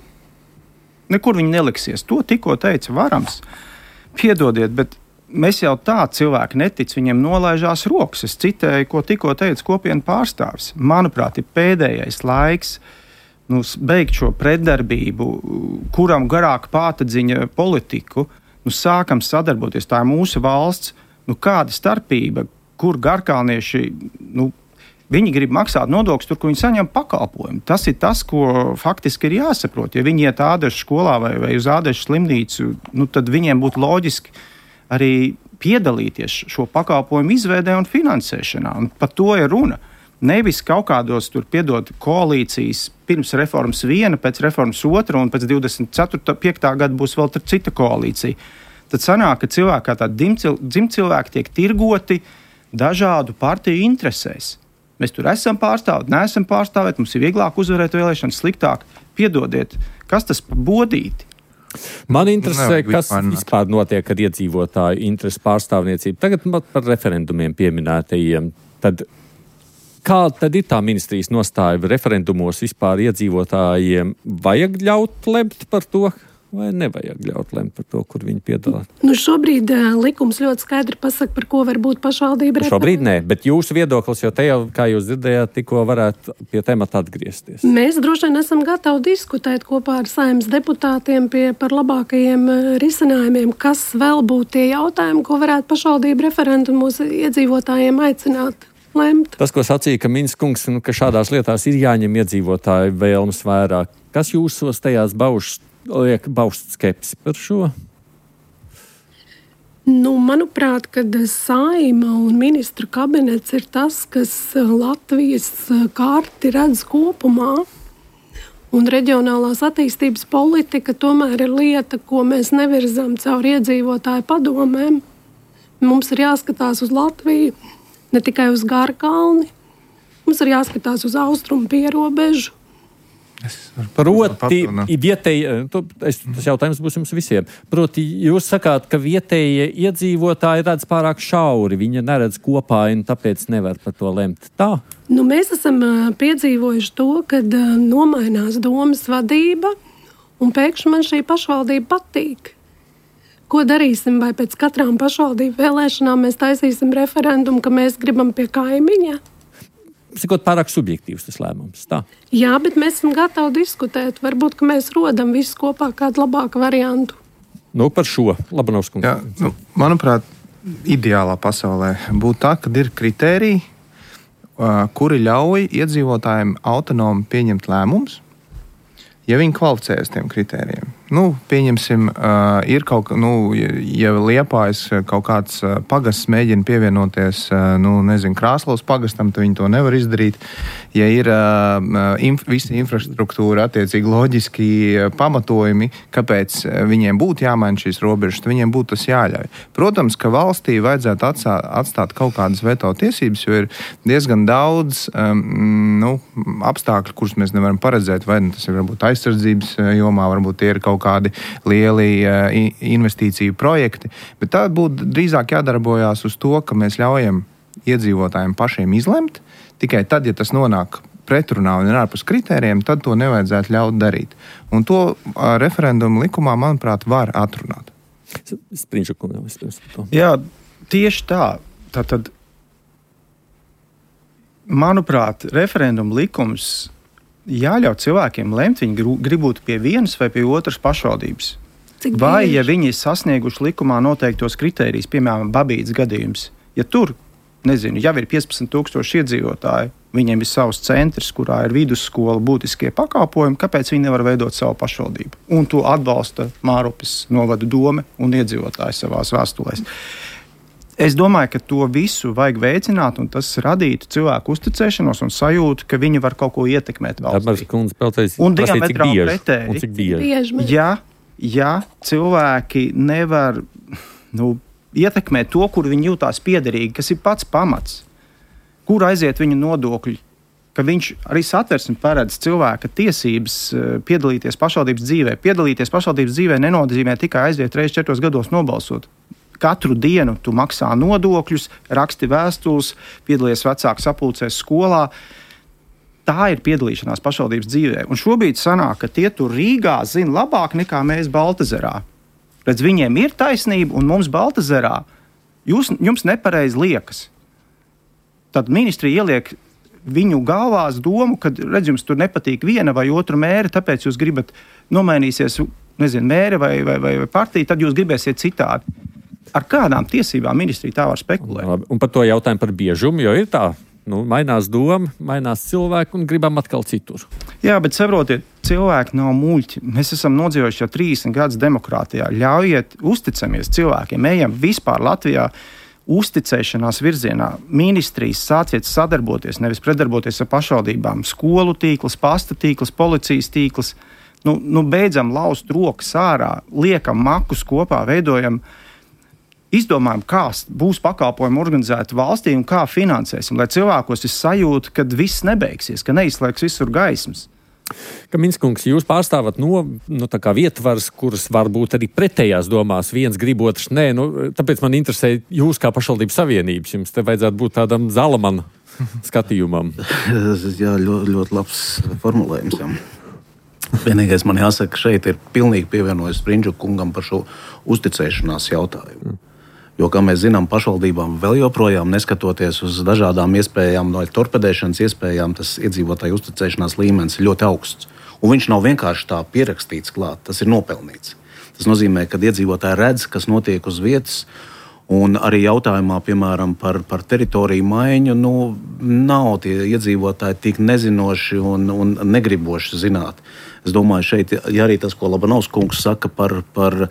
nekur viņi neliksies. To tikko teica Varams. Piedodiet, bet mēs jau tā cilvēki netic, viņiem nolaižās rokas. Es citēju, ko tikko teica kopienu pārstāvis. Manuprāt, ir pēdējais laiks nu, beigt šo pretdarbību, kuram garāk pātadziņa politiku. Nu, sākam sadarboties, tā ir mūsu valsts, nu, kāda starpība, kur garkalnieši, nu, viņi grib maksāt nodokļus tur, kur viņi saņem pakalpojumu. Tas ir tas, ko faktiski ir jāsaprot. Ja viņi iet ādažu skolā vai, vai uz ādažu slimnīcu, nu, tad viņiem būtu loģiski arī piedalīties šo pakalpojumu izveidē un finansēšanā. Un par to ir runa. Nevis kaut kādos tur piedot koalīcijas pirms reformas viena, pēc reformas otra un pēc divdesmit piekta gada būs vēl cita koalīcija. Tad sanāk, ka cilvēki kā tādi dzimtcilvēki tiek tirgoti dažādu partiju interesēs. Mēs tur esam pārstāvēti, neesam pārstāvēti, mums ir vieglāk uzvarēt vēlēšanas, sliktāk. Piedodiet, kas tas pa bodīti? Man interesē, Nav, kas vispār notiek ar iedzīvotāju interesu pārstāvniecību. Tagad par referendumiem pieminētajiem. Tad kā tad ir tā ministrijas nostāja referendumos vispār iedzīvotājiem? Vajag ļaut lemt par to, vai nevajag ļaut lemt par to, kur viņi piedalās? Nu, šobrīd uh, likums ļoti skaidri pasaka, par ko var būt pašvaldība referendums. Šobrīd nē, bet jūsu viedoklis, jo te jau, kā jūs dzirdējāt, tikko varētu pie temata atgriezties. Mēs droši vien esam gatavi diskutēt kopā ar Saeimas deputātiem pie, par labākajiem uh, risinājumiem, kas vēl būtu tie jautājumi, ko varētu pašvaldība referendumos iedzīvotājiem aicināt. lemt. Tas, ko sacīja, ka Miņas kungs, nu, ka šādās lietās ir jāņem iedzīvotāju vēlmes vērā. Kas jūsos tajās baušas, liek baust skepsi par šo? Nu, manuprāt, kad Saeima un ministru kabinets ir tas, kas Latvijas karti redz kopumā, un reģionālās attīstības politika tomēr ir lieta, ko mēs nevirzām caur iedzīvotāju padomēm. Mums ir jāskatās uz Latviju, ne tikai uz Garkalni, mums ir jāskatās uz austrumu pierobežu. Proti, vietēji, tas jautājums būs jums visiem. Proti, jūs sakāt, ka vietējie iedzīvotāji redz pārāk šauri, viņi neredz kopā un tāpēc nevar par to lemt. Tā? Nu, mēs esam piedzīvojuši to, kad nomainās domas vadība un pēkšņi man šī pašvaldība patīk. Ko darīsim, vai pēc katrām pašvaldību vēlēšanām mēs taisīsim referendumu, ka mēs gribam pie kaimiņa? Sakot, pārāk subjektīvs tas lēmums, tā? Jā, bet mēs esam gatavi diskutēt. Varbūt, ka mēs rodam visu kopā kādu labāku variantu. Nu, par šo, Labanovs kungs. Jā, nu, manuprāt, ideālā pasaulē būtu tā, kad ir kritēriji, kuri ļauj iedzīvotājiem autonomi pieņemt lēmumus, ja viņi kvalificējas tiem kritērijiem. Nu, pieņemsim, uh, ir kaut kā, nu, ja Liepājas kaut kāds uh, pagasts mēģina pievienoties, uh, nu, nezinu, Krāslavas pagastam, tad viņi to nevar izdarīt. Ja ir uh, inf, visa infrastruktūra, attiecīgi loģiski uh, pamatojumi, kāpēc viņiem būtu jāmaina šīs robežas, tad viņiem būtu tas jāļauj. Protams, ka valstī vajadzētu atstāt, atstāt kaut kādas veto tiesības, jo ir diezgan daudz um, nu, apstākļu, kurus mēs nevaram paredzēt, vai tas ir varbūt aizsardzības jomā, varbūt tie ir kaut kādi lieli uh, investīciju projekti, bet tā būtu drīzāk jādarbojās uz to, ka mēs ļaujam iedzīvotājiem pašiem izlemt, tikai tad, ja tas nonāk pretrunā un ir ārpus kritērijiem, tad to nevajadzētu ļaut darīt. Un to uh, referendumu likumā, manuprāt, var atrunāt. Jā, tieši tā. Tātad, manuprāt, referendumu likums jāļauj cilvēkiem lemt, viņi grib būt pie vienas vai pie otras pašvaldības. Cik vai, bieži? ja viņi ir sasnieguši likumā noteiktos kritērijus, piemēram, Babītas gadījums, ja tur, nezinu, jau ir piecpadsmit tūkstoši iedzīvotāji, viņiem ir savs centrs, kurā ir vidusskola, būtiskie pakalpojumi, kāpēc viņi nevar veidot savu pašvaldību? Un to atbalsta Mārupes novada dome un iedzīvotāji savās vēstulēs. Es domāju, ka to visu vajag veicināt, un tas radītu cilvēku uzticēšanos un sajūtu, ka viņi var kaut ko ietekmēt valstī. Un diametrāli pretēji, ja, ja cilvēki nevar nu, ietekmēt to, kur viņi jūtās piederīgi, kas ir pats pamats, kur aiziet viņa nodokļi, ka viņš arī Satversme paredz cilvēka tiesības piedalīties pašvaldības dzīvē. Piedalīties pašvaldības dzīvē nenozīmē tikai aiziet reiz četros gados nobalsot. Katru dienu tu maksā nodokļus, raksti vēstules, piedalies vecāku sapulcēs skolā. Tā ir piedalīšanās pašvaldības dzīvē. Un šobrīd sanāk, ka tie tur Rīgā zina labāk nekā mēs Baltazarā. Redz, viņiem ir taisnība, un mums Baltazarā jūs, jums nepareizi liekas. Tad ministrija ieliek viņu galvās domu, ka, redz, jums tur nepatīk viena vai otra mēre, tāpēc jūs gribat nomainīsies, nezinu, mēre vai, vai, vai partija, tad jūs gribēsiet citādi. Ar kādām tiesībām ministrija tā var spekulēt? Labi. Un par to jautājumu par biežumu, jo ir tā, nu, mainās doma, mainās cilvēki un gribam atkal citur. Jā, bet saprotiet, cilvēki nav muļķi. Mēs esam nodzīvojuši jau trīsdesmit gadus demokrātijā. Ļaujiet, uzticamies cilvēkiem, ejam vispār Latvijā uzticēšanās virzienā. Ministrijas sāciet sadarboties, nevis predarboties ar pašvaldībām. Skolu tīkls, pasta tīkls, policijas tīkls. Nu, nu beidzam laust rokas ārā, liekam makus kopā, veidojam izdomājam, kā būs pakalpojumi organizēti valstī un kā finansēsim, lai cilvēkos ir sajūta, ka viss nebeigsies, ka neizslēgs visur gaismas. Ka Minskungs, jūs pārstāvat no, no tā kā vietvars, kuras varbūt arī pretējās domās, viens grib, otrs nē, nu, tāpēc man interesē jūs kā pašvaldības savienības, jums te vajadzētu būt tādam Zalamana skatījumam. Jā, ļoti, ļoti labs formulējums, jā. Vienīgais man jāsaka, ka šeit ir pilnīgi pievienojas Sprindžu kungam par šo uzticēšanās jautājumu. Jo, kā mēs zinām, pašvaldībām vēl joprojām, neskatoties uz dažādām iespējām, no torpedēšanas iespējām, tas iedzīvotāju uzticēšanās līmenis ir ļoti augsts. Un viņš nav vienkārši tā pierakstīts klāt, tas ir nopelnīts. Tas nozīmē, ka iedzīvotāji redz, kas notiek uz vietas, Un arī jautājumā, piemēram, par, par teritoriju maiņu, nu, nav tie iedzīvotāji tik nezinoši un, un negriboši zināt. Es domāju, šeit, ja arī tas, ko Labanovs kungs saka par, par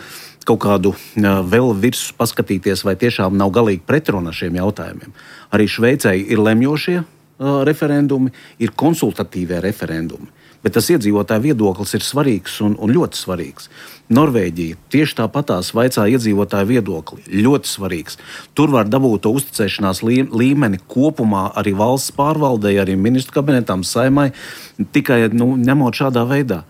kaut kādu vēl virsmu paskatīties, vai tiešām nav galīgi pretruna šiem jautājumiem. Arī Šveicei ir lemjošie uh, referendumi, ir konsultatīvie referendumi. Bet tas iedzīvotāju viedoklis ir svarīgs un, un ļoti svarīgs. Norvēģija tieši tāpatās vaicā iedzīvotāju viedokli. Ļoti svarīgs. Tur var dabūt to uzticēšanās līmeni kopumā arī valsts pārvaldei, arī ministru kabinetam, saimai, tikai nu, ņemot šādā veidā.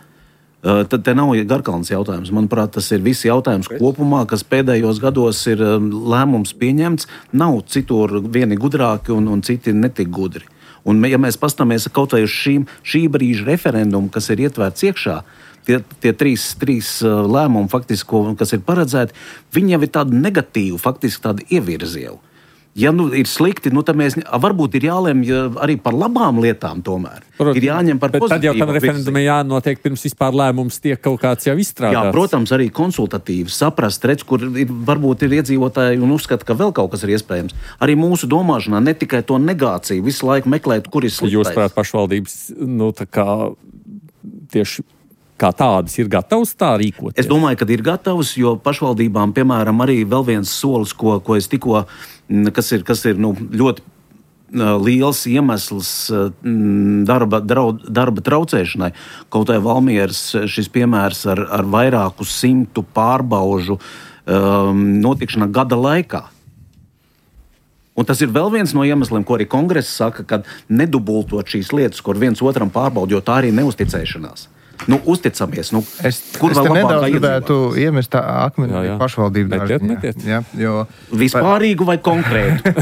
Uh, tad te nav Garkalns jautājums. Manuprāt, tas ir visi jautājums kopumā, kas pēdējos gados ir um, lēmums pieņemts. Nav citur vieni gudrāki un, un citi netik gudri. Un, ja mēs pastāmies kaut vai uz šīm, šī brīža referendumu, kas ir ietverts iekšā, tie, tie trīs, trīs lēmumi, faktiski, ko, kas ir paredzēti, viņi jau ir tādi negatīvi, faktiski tādi ievirzi jau. Ja nu ir slikti, nu tad mēs varbūt ir jālemj arī par labām lietām tomēr. Protams, ir jāņem par pozitīvu. Bet tad jau tam referendumam jānotiek pirms vispār lēmums tiek kaut kāds jau izstrādāts. Jā, protams, arī konsultatīvi saprast, redz, kur ir, varbūt ir iedzīvotāji un uzskata, ka vēl kaut kas ir iespējams. Arī mūsu domāšanā ne tikai to negāciju, visu laiku meklēt, kur ir sliktais. Jūs prāt, pašvaldības, nu tā kā tieši kā tādas ir gatavas tā rīkoties? Es domāju, ka ir gatavas, jo pašvaldībām, piemēram, arī vēl viens solis, ko, ko es tikko, kas ir, kas ir nu, ļoti liels iemesls darba, draud, darba traucēšanai. Kaut vai Valmieras šis piemērs ar, ar vairāku simtu pārbaužu um, notikšana gada laikā. Un tas ir vēl viens no iemesliem, ko arī kongress saka, kad nedubultot šīs lietas, kur viens otram pārbaud, jo tā arī neuzticēšanās. Nu, uzticamies. Nu, es kur es te nedaudz gribētu iemest tā akmeni pašvaldību dārziņā. Vispārīgu vai konkrētu?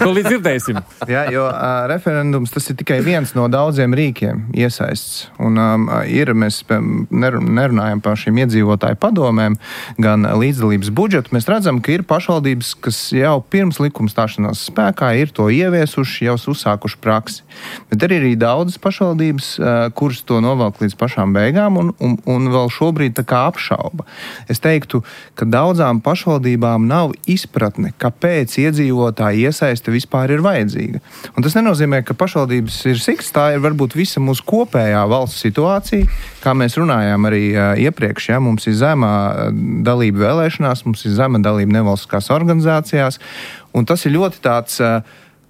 To līdz dzirdēsim. Jā, jo uh, referendums tas ir tikai viens no daudziem rīkiem iesaists. Un um, ir, mēs nerunājam par šīm iedzīvotāju padomēm, gan līdzdalības budžetu. Mēs redzam, ka ir pašvaldības, kas jau pirms likuma stāšanās spēkā ir to ieviesuši, jau uzsākuši praksi. Bet ir arī daudzas pašvaldības, uh, kuras to novelk līdz pašvaldības beigām un, un, un vēl šobrīd tā kā apšauba. Es teiktu, ka daudzām pašvaldībām nav izpratne, kāpēc iedzīvotāji iesaiste vispār ir vajadzīga. Un tas nenozīmē, ka pašvaldības ir sikts, tā ir varbūt visa mūsu kopējā valsts situācija, kā mēs runājām arī uh, iepriekš, ja, mums ir zema dalība vēlēšanās, mums ir zema dalība nevalstiskās organizācijās, un tas ir ļoti tāds uh,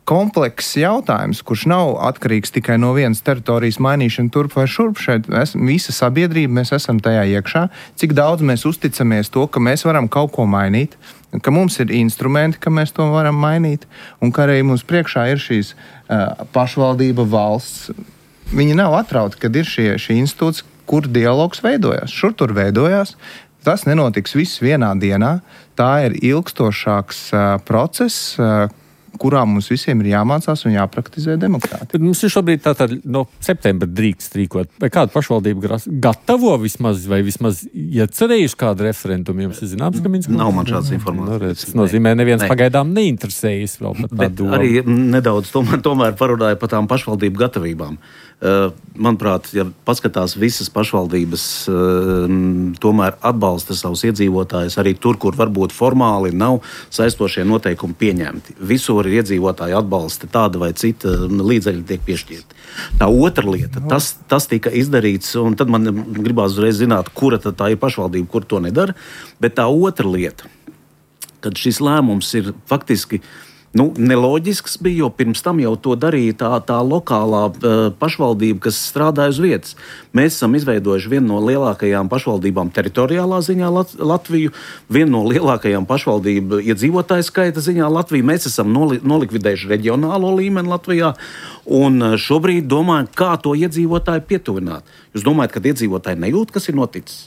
komplekss jautājums, kurš nav atkarīgs tikai no vienas teritorijas mainīšana turp vai šurp. Šeit mēs, visa sabiedrība, mēs esam tajā iekšā. Cik daudz mēs uzticamies to, ka mēs varam kaut ko mainīt, ka mums ir instrumenti, ka mēs to varam mainīt, un ka arī mums priekšā ir šīs uh, pašvaldība valsts. Viņi nav atrauti, kad ir šie, šī institūts, kur dialogs veidojās. Šur tur veidojās. Tas nenotiks viss vienā dienā. Tā ir ilgstošāks uh, process, uh, kurā mums visiem ir jāmācās un jāpraktizē demokrātija. Mums ir šobrīd tātad no septembra drīkst rīkot. Vai kāda pašvaldība gatavo vismaz, vai vismaz iecerējuši kādu referendumu? Jums ir zināms, ka Minskā? Nav man šāds informācijas. Tas nozīmē, neviens ne. pagaidām neinteresējas vēl par Bet tādu. Arī nedaudz tomēr, tomēr parunāja par tām pašvaldību gatavībām. Uh, manuprāt, ja paskatās visas pašvaldības, uh, tomēr atbalsta savus iedzīvotājus arī tur, kur varbūt formāli nav saistošie noteikumi pieņemti. Visur ir iedzīvotāji atbalsta tāda vai cita līdzekļi tiek piešķirti. Tā otra lieta, tas, tas tika izdarīts, un tad man gribās uzreiz zināt, kura tad tā ir pašvaldība, kur to nedara, bet tā otra lieta, kad šis lēmums ir faktiski Nu, neloģisks bija, jo pirms tam jau to darīja tā, tā lokālā uh, pašvaldība, kas strādāja uz vietas. Mēs esam izveidojuši vienu no lielākajām pašvaldībām teritoriālā ziņā Lat- Latviju, vienu no lielākajām pašvaldību iedzīvotāju skaita ziņā Latviju. Mēs esam noli- nolikvidējuši reģionālo līmeni Latvijā un šobrīd domājam, kā to iedzīvotāju pietuvināt. Jūs domājat, ka iedzīvotāji nejūt, kas ir noticis?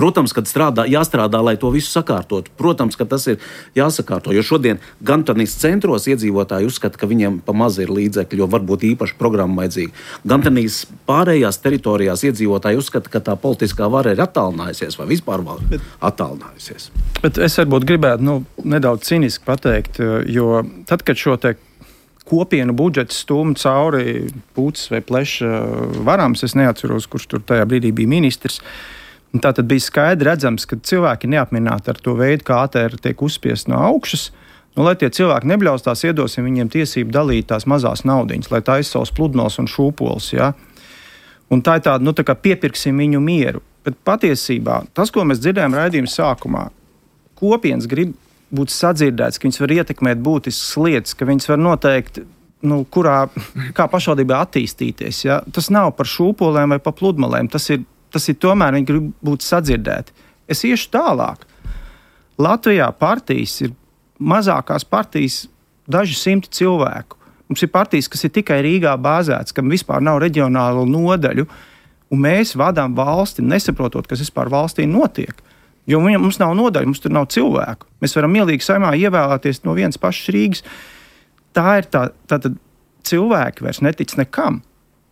Protams, kad strādā, jāstrādā, lai to visu sakārtotu. Protams, ka tas ir jāsakārto, jo šodien gan tanīs centros iedzīvotāji uzskata, ka viņiem pa maz ir līdzekļi, jo varbūt īpaši programma vajadzīga. Gan tanīs pārējās teritorijās iedzīvotāji uzskata, ka tā politiskā vara ir attālinājusies vai vispār bet, attālinājusies. Bet es varbūt gribētu nu, nedaudz ciniski pateikt, jo tad, kad šo te kopienu budžetu stūmu cauri Pūces vai Pleša varams, es neatceros, kurš tur tajā brīdī bija ministrs. Un tā tad bija skaidri redzams, ka cilvēki ir neapmierināti ar to veidu, kā A T R tiek uzspiest no augšas. Nu, lai tie cilvēki nebļaustās, iedosim viņiem tiesību dalīt tās mazās naudiņas, lai taisa savus pludmales un šūpoles. Ja? Un tā ir tāda, nu, tā kā piepirksim viņu mieru. Bet patiesībā tas, ko mēs dzirdējām raidījuma sākumā, kopienas grib būt sadzirdēts, ka viņas var ietekmēt būtiskas lietas, ka viņas var noteikt, nu, kurā, kā pašvaldībā attīstīties. Ja? Tas nav par šūpolēm vai par pludmalēm, tas ir Tas ir tomēr, viņi grib būt sadzirdēti. Es iešu tālāk. Latvijā partijas ir mazākās partijas daži simti cilvēku. Mums ir partijas, kas ir tikai Rīgā bāzētas, kam vispār nav reģionālo nodaļu, un mēs vadām valsti, nesaprotot, kas vispār valstī notiek. Jo mums nav nodaļu, mums tur nav cilvēku. Mēs varam mielīgi saimā ievēlēties no vienas pašas Rīgas. Tā ir tā, tātad cilvēki vairs netic nekam.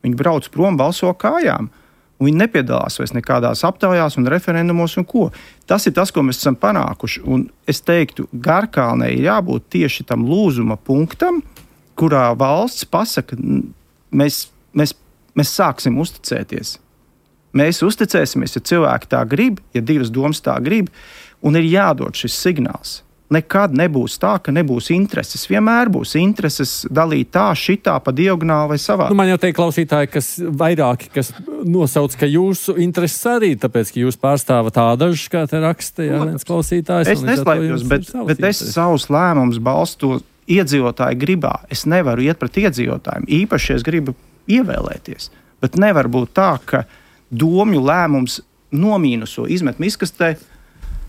Viņi brauc prom, balso kājām. Un viņi nepiedalās vairs nekādās aptaujās un referendumos un ko. Tas ir tas, ko mēs esam panākuši. Un es teiktu, Garkalnei ir jābūt tieši tam lūzuma punktam, kurā valsts pasaka, mēs, mēs, mēs sāksim uzticēties. Mēs uzticēsimies, ja cilvēki tā grib, ja divas domas tā grib, un ir jādod šis signāls. Nekad nebūs tā, ka nebūs intereses. Vienmēr būs intereses dalīt tā, šitā, pa diagonāli vai savā. Nu, man jau teikt klausītāji, kas vairāki, kas nosauc, ka jūsu intereses arī, tāpēc, ka jūs pārstāvat tādažas, kā te raksta, jā, viens klausītājs. Es neslēpjos, bet, bet es savus lēmumus balstu iedzīvotāju gribā. Es nevaru iet pret iedzīvotājiem. Īpaši es gribu ievēlēties. Bet nevar būt tā, ka domju lēmums nomīnuso izmet miskastē,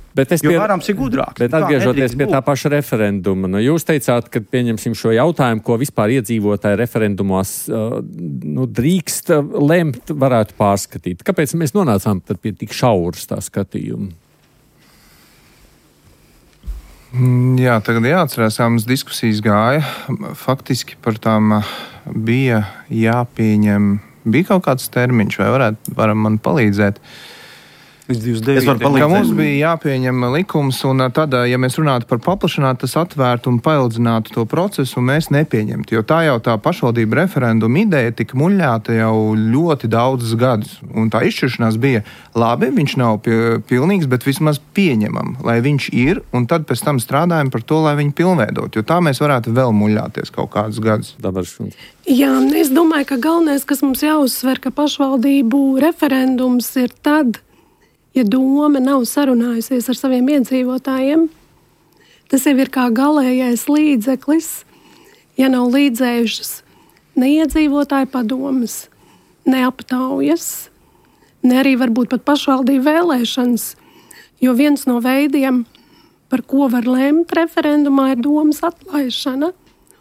Bet es jo pie, varams ir gudrāk. Bet atgriežoties pie tā paša referenduma, nu, jūs teicāt, ka pieņemsim šo jautājumu, ko vispār iedzīvotāji referendumos uh, nu, drīkst lemt, varētu pārskatīt. Kāpēc mēs nonācām pie tik šauras tā skatījuma? Jā, tagad jāatcerās, kā mums diskusijas gāja. Faktiski par tām bija jāpieņem, bija kaut kāds termiņš, vai varētu, varam man palīdzēt. Es varu palīdzēt. Ka mums bija jāpieņem likums, un tad, ja mēs runātu par paplašinātu, tas atvērtu un paildzinātu to procesu, un mēs nepieņemtu. Jo tā jau tā pašvaldība referenduma ideja tika muļļāta jau ļoti daudzus gadus. Un tā izšķiršanās bija labi, viņš nav pilnīgs, bet vismaz pieņemam, lai viņš ir, un tad pēc tam strādājam par to, lai viņu pilnveidot. Jo tā mēs varētu vēl muļļāties kaut kādus gadus. Dabaršums. Jā, es domāju, ka galvenais, kas mums jāuzsver, ka pašvaldību referendums ir tad, ja doma nav sarunājusies ar saviem iedzīvotājiem. Tas jau ir kā galējais līdzeklis, ja nav līdzējušas ne iedzīvotāju padomas, ne aptaujas, ne arī varbūt pat pašvaldību vēlēšanas, jo viens no veidiem, par ko var lemt referendumā, ir domas atlaišana.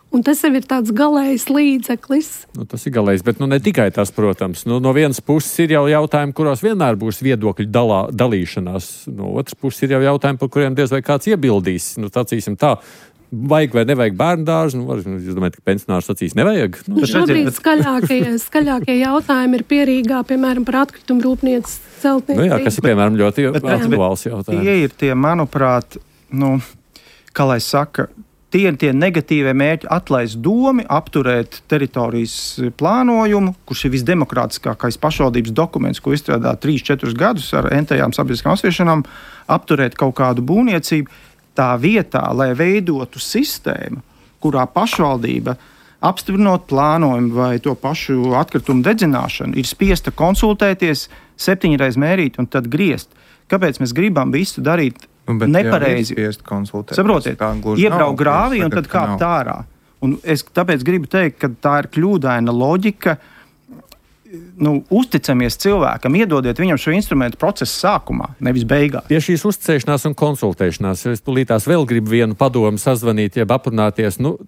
Un tas jau ir tāds galējs līdzeklis. Nu, tas ir galējs, bet nu, ne tikai tas, protams. Nu, no vienas puses ir jau jautājumi, kuros vienmēr būs viedokļu dalā, dalīšanās. No otras puses ir jau jautājumi, par kuriem diez vai kāds iebildīs. Nu, sacīsim tā, vajag vai nevajag bērnu dārzu. Nu, var, jūs domājat, ka pensionārs sacīs nevajag? Nu, šobrīd skaļākie, skaļākie jautājumi ir Pierīgā, piemēram, par atkritumu rūpniecības celtniecību. Nu, jā, kas ir, piemēram, ļoti aktuāls jautājums. Tie ir tie, manuprāt, nu, kā lai saka, tie ir tie negatīvie mērķi atlaist domi, apturēt teritorijas plānojumu, kurš ir visdemokrātiskākais pašvaldības dokuments, ko izstrādā trīs četrus gadus ar entējām sabiedriskām apspriešanām, apturēt kaut kādu būvniecību. Tā vietā, lai veidotu sistēmu, kurā pašvaldība apstiprinot plānojumu vai to pašu atkritumu dedzināšanu, ir spiesta konsultēties, septiņreiz mērīt un tad griezt. Kāpēc mēs gribam visu darīt Nu, nepareizi? Saprotiet, iebraukt grāvī un tad kāpt ārā. Un es tāpēc gribu teikt, ka tā ir kļūdaina loģika. Nu, uzticamies cilvēkam, iedodiet viņam šo instrumentu procesa sākumā, nevis beigās. Pie šīs uzticēšanās un konsultēšanās es tūlītās vēl gribu vienu padomu sazvanīt, jeb aprunāties. Nu,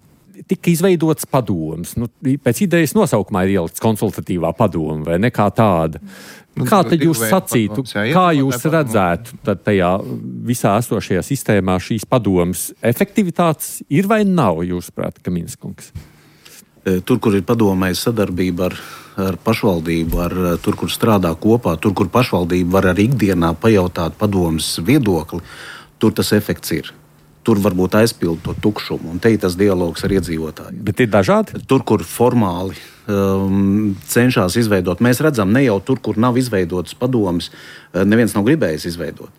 tika izveidots padoms. Nu, pēc idejas nosaukumā ir ielikts konsultatīvā padoma vai nekā tāda. Kā tad jūs sacītu, kā jūs redzētu tad tajā visā esošajā sistēmā šīs padomas efektivitātes ir vai nav, jūsuprāt, Kaminskungs? Tur, kur ir padomējas sadarbība ar, ar pašvaldību, ar, tur, kur strādā kopā, tur, kur pašvaldība var arī ikdienā pajautāt padomas viedokli, tur tas efekts ir. Tur varbūt aizpild to tukšumu, un te ir tas dialogs ar iedzīvotājiem. Bet ir dažādi? Tur, kur formāli um, cenšas izveidot. Mēs redzam, ne jau tur, kur nav izveidotas padomes, neviens nav gribējis izveidot.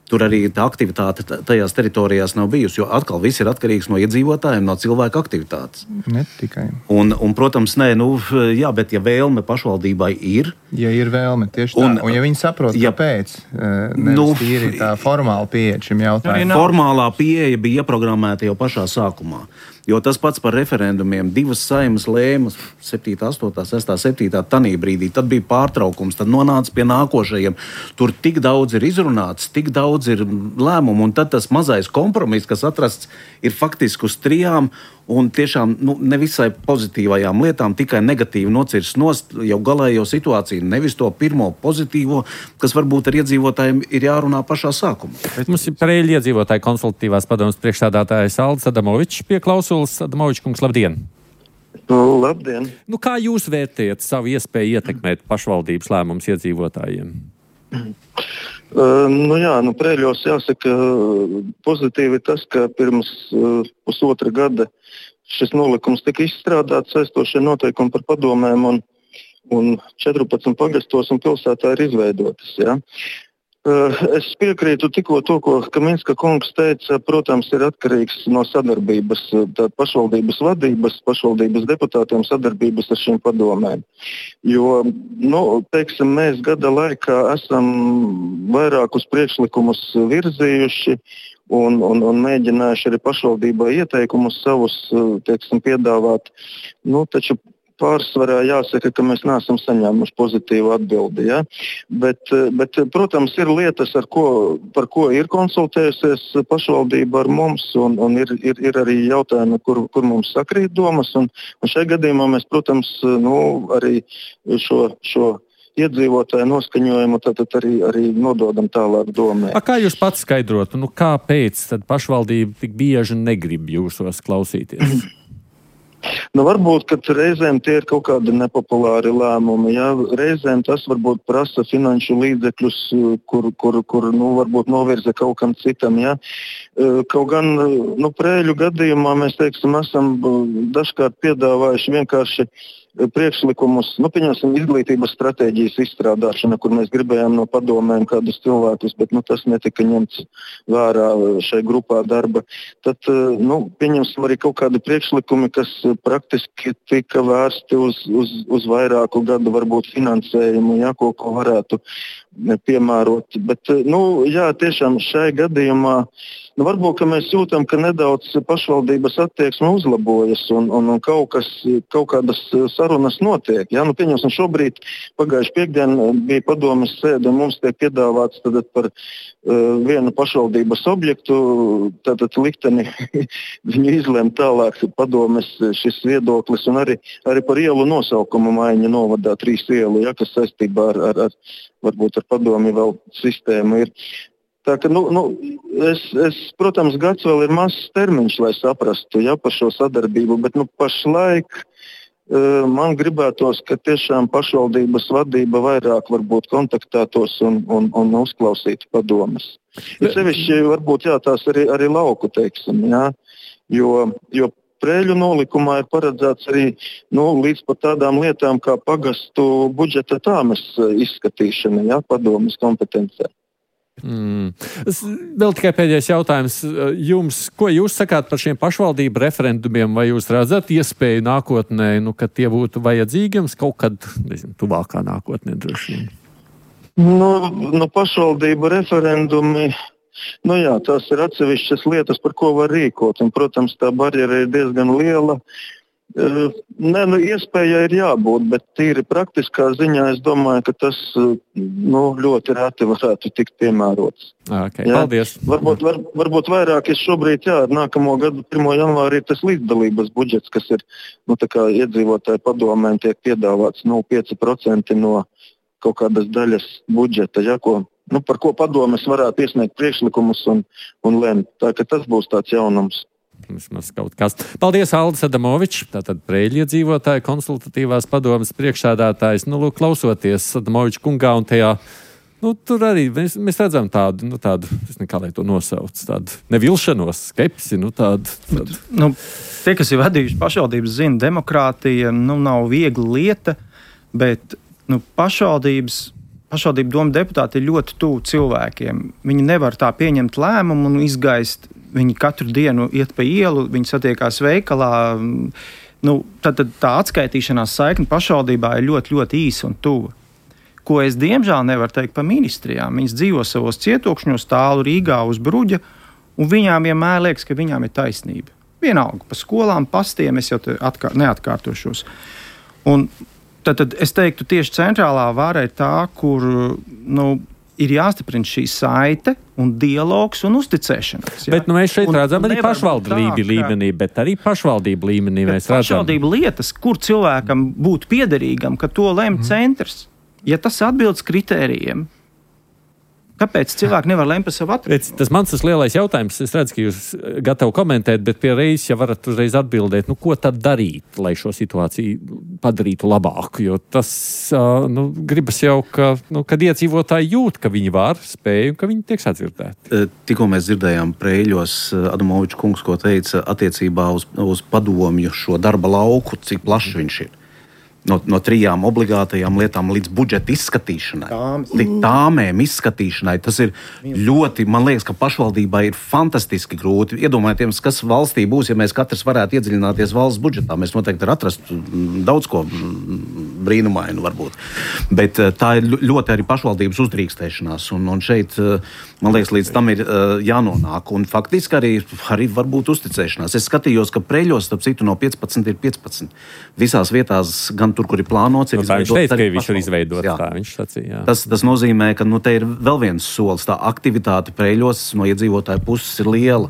Tur arī tā aktivitāte tajās teritorijās nav bijusi, jo atkal viss ir atkarīgs no iedzīvotājiem, no cilvēku aktivitātes. Ne tikai. Un, un protams, nē, nu, jā, bet ja vēlme pašvaldībai ir... Ja ir vēlme, tieši tā. Un, un ja viņi saprot, ja, kāpēc, nevis nu, tīri tā formāla pieeja šim jautājumam. Formālā pieeja bija ieprogrammēta jau pašā sākumā. Jo tas pats par referendumiem, divas saimas lēmas, septītā, astotā, sestā, septītā, tanī brīdī, tad bija pārtraukums, tad nonāca pie nākošajiem. Tur tik daudz ir izrunāts, tik daudz ir lēmumu, un tad tas mazais kompromiss, kas atrasts, ir faktiski uz trijām un tiešām nu, nevisai pozitīvajām lietām, tikai negatīvi nocirst nost jau galējo situāciju, nevis to pirmo pozitīvo, kas varbūt ar iedzīvotājiem ir jārunā pašā sākumā. Mums ir Preiļu iedzīvotāju konsultatīvās padomes priekšsēdētājs Aldis Adamovičs pie klausulas. Adamovičs kungs, labdien! Nu, labdien! Nu, kā jūs vērtējat savu iespēju ietekmēt pašvaldības lēmumus iedzīvotājiem? Uh, nu jā, nu Preiļos jāsaka pozitīvi tas, ka pirms uh, pusotra gada šis nolikums tika izstrādāts, saistošie noteikumi par padomēm un, un četrpadsmit pagastos un pilsētā ir izveidotas. Ja? Uh, es piekrītu tikko to, ko Kaminska kungs teica, protams, ir atkarīgs no sadarbības, tā pašvaldības vadības, pašvaldības deputātiem sadarbības ar šīm padomēm. Jo, nu, teiksim, mēs gada laikā esam vairākus priekšlikumus virzījuši un, un, un mēģinājuši arī pašvaldībai ieteikumus savus, teiksim, piedāvāt. Nu, taču pārsvarā jāsaka, ka mēs neesam saņēmuši pozitīvu atbildi. Ja? Bet, bet, protams, ir lietas, ar ko, par ko ir konsultējusies pašvaldība ar mums, un, un ir, ir, ir arī jautājumi, kur, kur mums sakrīt domas. Un, un šajā gadījumā mēs, protams, nu, arī šo, šo iedzīvotāju noskaņojumu tātad arī, arī nododam tālāk domē. A, kā jūs pats skaidrotu, nu, kāpēc tad pašvaldība tik bieži negrib jūsos klausīties? Nu, varbūt, ka reizēm tie ir kaut kādi nepopulāri lēmumi. Ja? Reizēm tas varbūt prasa finanšu līdzekļus, kur, kur, kur nu, varbūt novirza kaut kam citam. Ja? Kaut gan nu, Preiļu gadījumā mēs teiksim, esam dažkārt piedāvājuši vienkārši priekšlikumus, nu, pieņemsim, izglītības stratēģijas izstrādāšana, kur mēs gribējām no padomēm kādus cilvēkus, bet nu, tas netika ņemts vērā šai grupā darba. Tad, nu, pieņemsim arī kaut kādi priekšlikumi, kas praktiski tika vērsti uz, uz, uz vairāku gadu varbūt finansējumu, ja, ko, ko varētu piemērot. Bet, nu, jā, tiešām šai gadījumā nu, varbūt mēs jūtam, ka nedaudz pašvaldības attieksme uzlabojas un, un, un kaut, kas, kaut kādas sarunas notiek. Ja? Nu, pieņemsim, šobrīd pagājuši piekdien bija padomes sēde un mums tiek piedāvāts tad par uh, vienu pašvaldības objektu, tātad likteni viņu izlēma tālāk padomes šis viedoklis un arī, arī par ielu nosaukumu maiņa novadā trīs ielu, ja, kas saistībā ar, ar, ar varbūt ar padomi vēl sistēmu ir. Tā, ka, nu, nu, es, es, protams, gads vēl ir mazs termiņš, lai saprastu ja, par šo sadarbību, bet nu, pašlaik uh, man gribētos, ka tiešām pašvaldības vadība vairāk varbūt kontaktētos un, un, un uzklausītu padomes. Ir sevišķi varbūt jā, tās arī, arī lauku, teiksim, jā, jo, jo Preiļu nolikumā ir paredzēts arī nu, līdz pat tādām lietām kā pagastu budžeta tāmes izskatīšana, jā, padomes kompetencē. Mm. Vēl tikai pēdējais jautājums jums. Ko jūs sakāt par šiem pašvaldību referendumiem? Vai jūs redzat iespēju nākotnē, nu, ka tie būtu vajadzīgi jums kaut kad, nezinu, tuvākā nākotnē droši vien? Nu, nu, pašvaldību referendumi, nu jā, tās ir atsevišķas lietas, par ko var rīkot. Un, protams, tā barjera ir diezgan liela. Nē, nu, iespēja ir jābūt, bet tīri praktiskā ziņā es domāju, ka tas nu, ļoti reti varētu tikt piemērots. Okay, paldies. Varbūt, var, varbūt vairāk es šobrīd, jā, nākamo gadu pirmā janvārī tas līdzdalības budžets, kas ir nu, tā kā iedzīvotāju padomēm tiek piedāvāts nu, pieci procenti no kaut kādas daļas budžeta, ja, ko, nu, par ko padomes varētu iesniegt priekšlikumus un, un lemt. Tā ka tas būs tāds jaunums. Paldies, Aldis Adamovičs, tātad Preiļu iedzīvotāju konsultatīvās padomes priekšsēdētājs. Nu, lūk, klausoties Adamoviča kungā un tajā Nu, tur arī mēs, mēs redzam tādu, nu, tādu, es nekā lai to nosauc, tādu nevilšanos, skepsi, nu, tādu. tādu. Nu, tie, kas ir vadījuši pašvaldības, zina, demokrātija nu, nav viegla lieta, bet nu, pašvaldības, pašvaldību doma deputāti ir ļoti tuvu cilvēkiem. Viņi nevar tā pieņemt lēmumu un izgaist. Viņi katru dienu iet pa ielu, viņi satiekās veikalā. Nu, tad, tad tā atskaitīšanās saikne pašvaldībā ir ļoti, ļoti īsa un tuva. Ko es diemžēl nevaru teikt par ministrijām. Viņas dzīvo savos cietokšņos, tālu Rīgā uz Bruģa, un viņām vienmēr liekas, ka viņām ir taisnība. Vienalga, pa skolām, pastiem, es jau atkār, neatkārtošos. Un tad, tad es teiktu, tieši centrālā vara ir tā, kur nu, ir jāstiprina šī saite un dialogs un uzticēšanās. Bet nu, mēs šeit un, redzam arī pašvaldību līmenī, bet arī pašvaldību līmenī mēs redzam. Pašvaldību lietas, kur cilvēkam būtu piederīgam, ka to lem mm. centrs. Ja tas atbilst kritērijiem, kāpēc cilvēki nevar lemt par savu atbildību? Tas mans tas lielais jautājums, es redzu, ka jūs gatavi komentēt, bet pie reizes, ja varat uzreiz atbildēt, nu, ko tad darīt, lai šo situāciju padarītu labāku? Jo tas, nu, gribas jau, ka, nu, kad iedzīvotāji jūt, ka viņi var, spēj un ka viņi tiek sadzirdēti. Tikko mēs dzirdējām Preiļos Adamoviča kungs, ko teica attiecībā uz, uz padomju šo darba lauku, cik plašs viņš ir. No, no trijām obligātajām lietām līdz budžeta izskatīšanai, līdz tāmēm izskatīšanai. Tas ir ļoti, man liekas, ka pašvaldībai ir fantastiski grūti. Iedomājieties, kas valstī būs, ja mēs katrs varētu iedziļināties valsts budžetā. Mēs noteikti atrastu daudz ko brīnumainu varbūt. Bet tā ir ļoti arī pašvaldības uzdrīkstēšanās. Un, un šeit, man liekas, līdz tam ir jānonāk. Un faktiski arī, arī varbūt uzticēšanās. Es skatījos, ka Preiļos, starp citu, no piecpadsmit ir piecpadsmit. Visās vietās gan tur, kur ir plānots, ir no, tā viņš teica, ka viņš ir izveidot, tā viņš sacīja. Jā. Tas, tas nozīmē, ka nu, te ir vēl viens solis. Tā aktivitāte Preiļos no iedzīvotāju puses ir liela.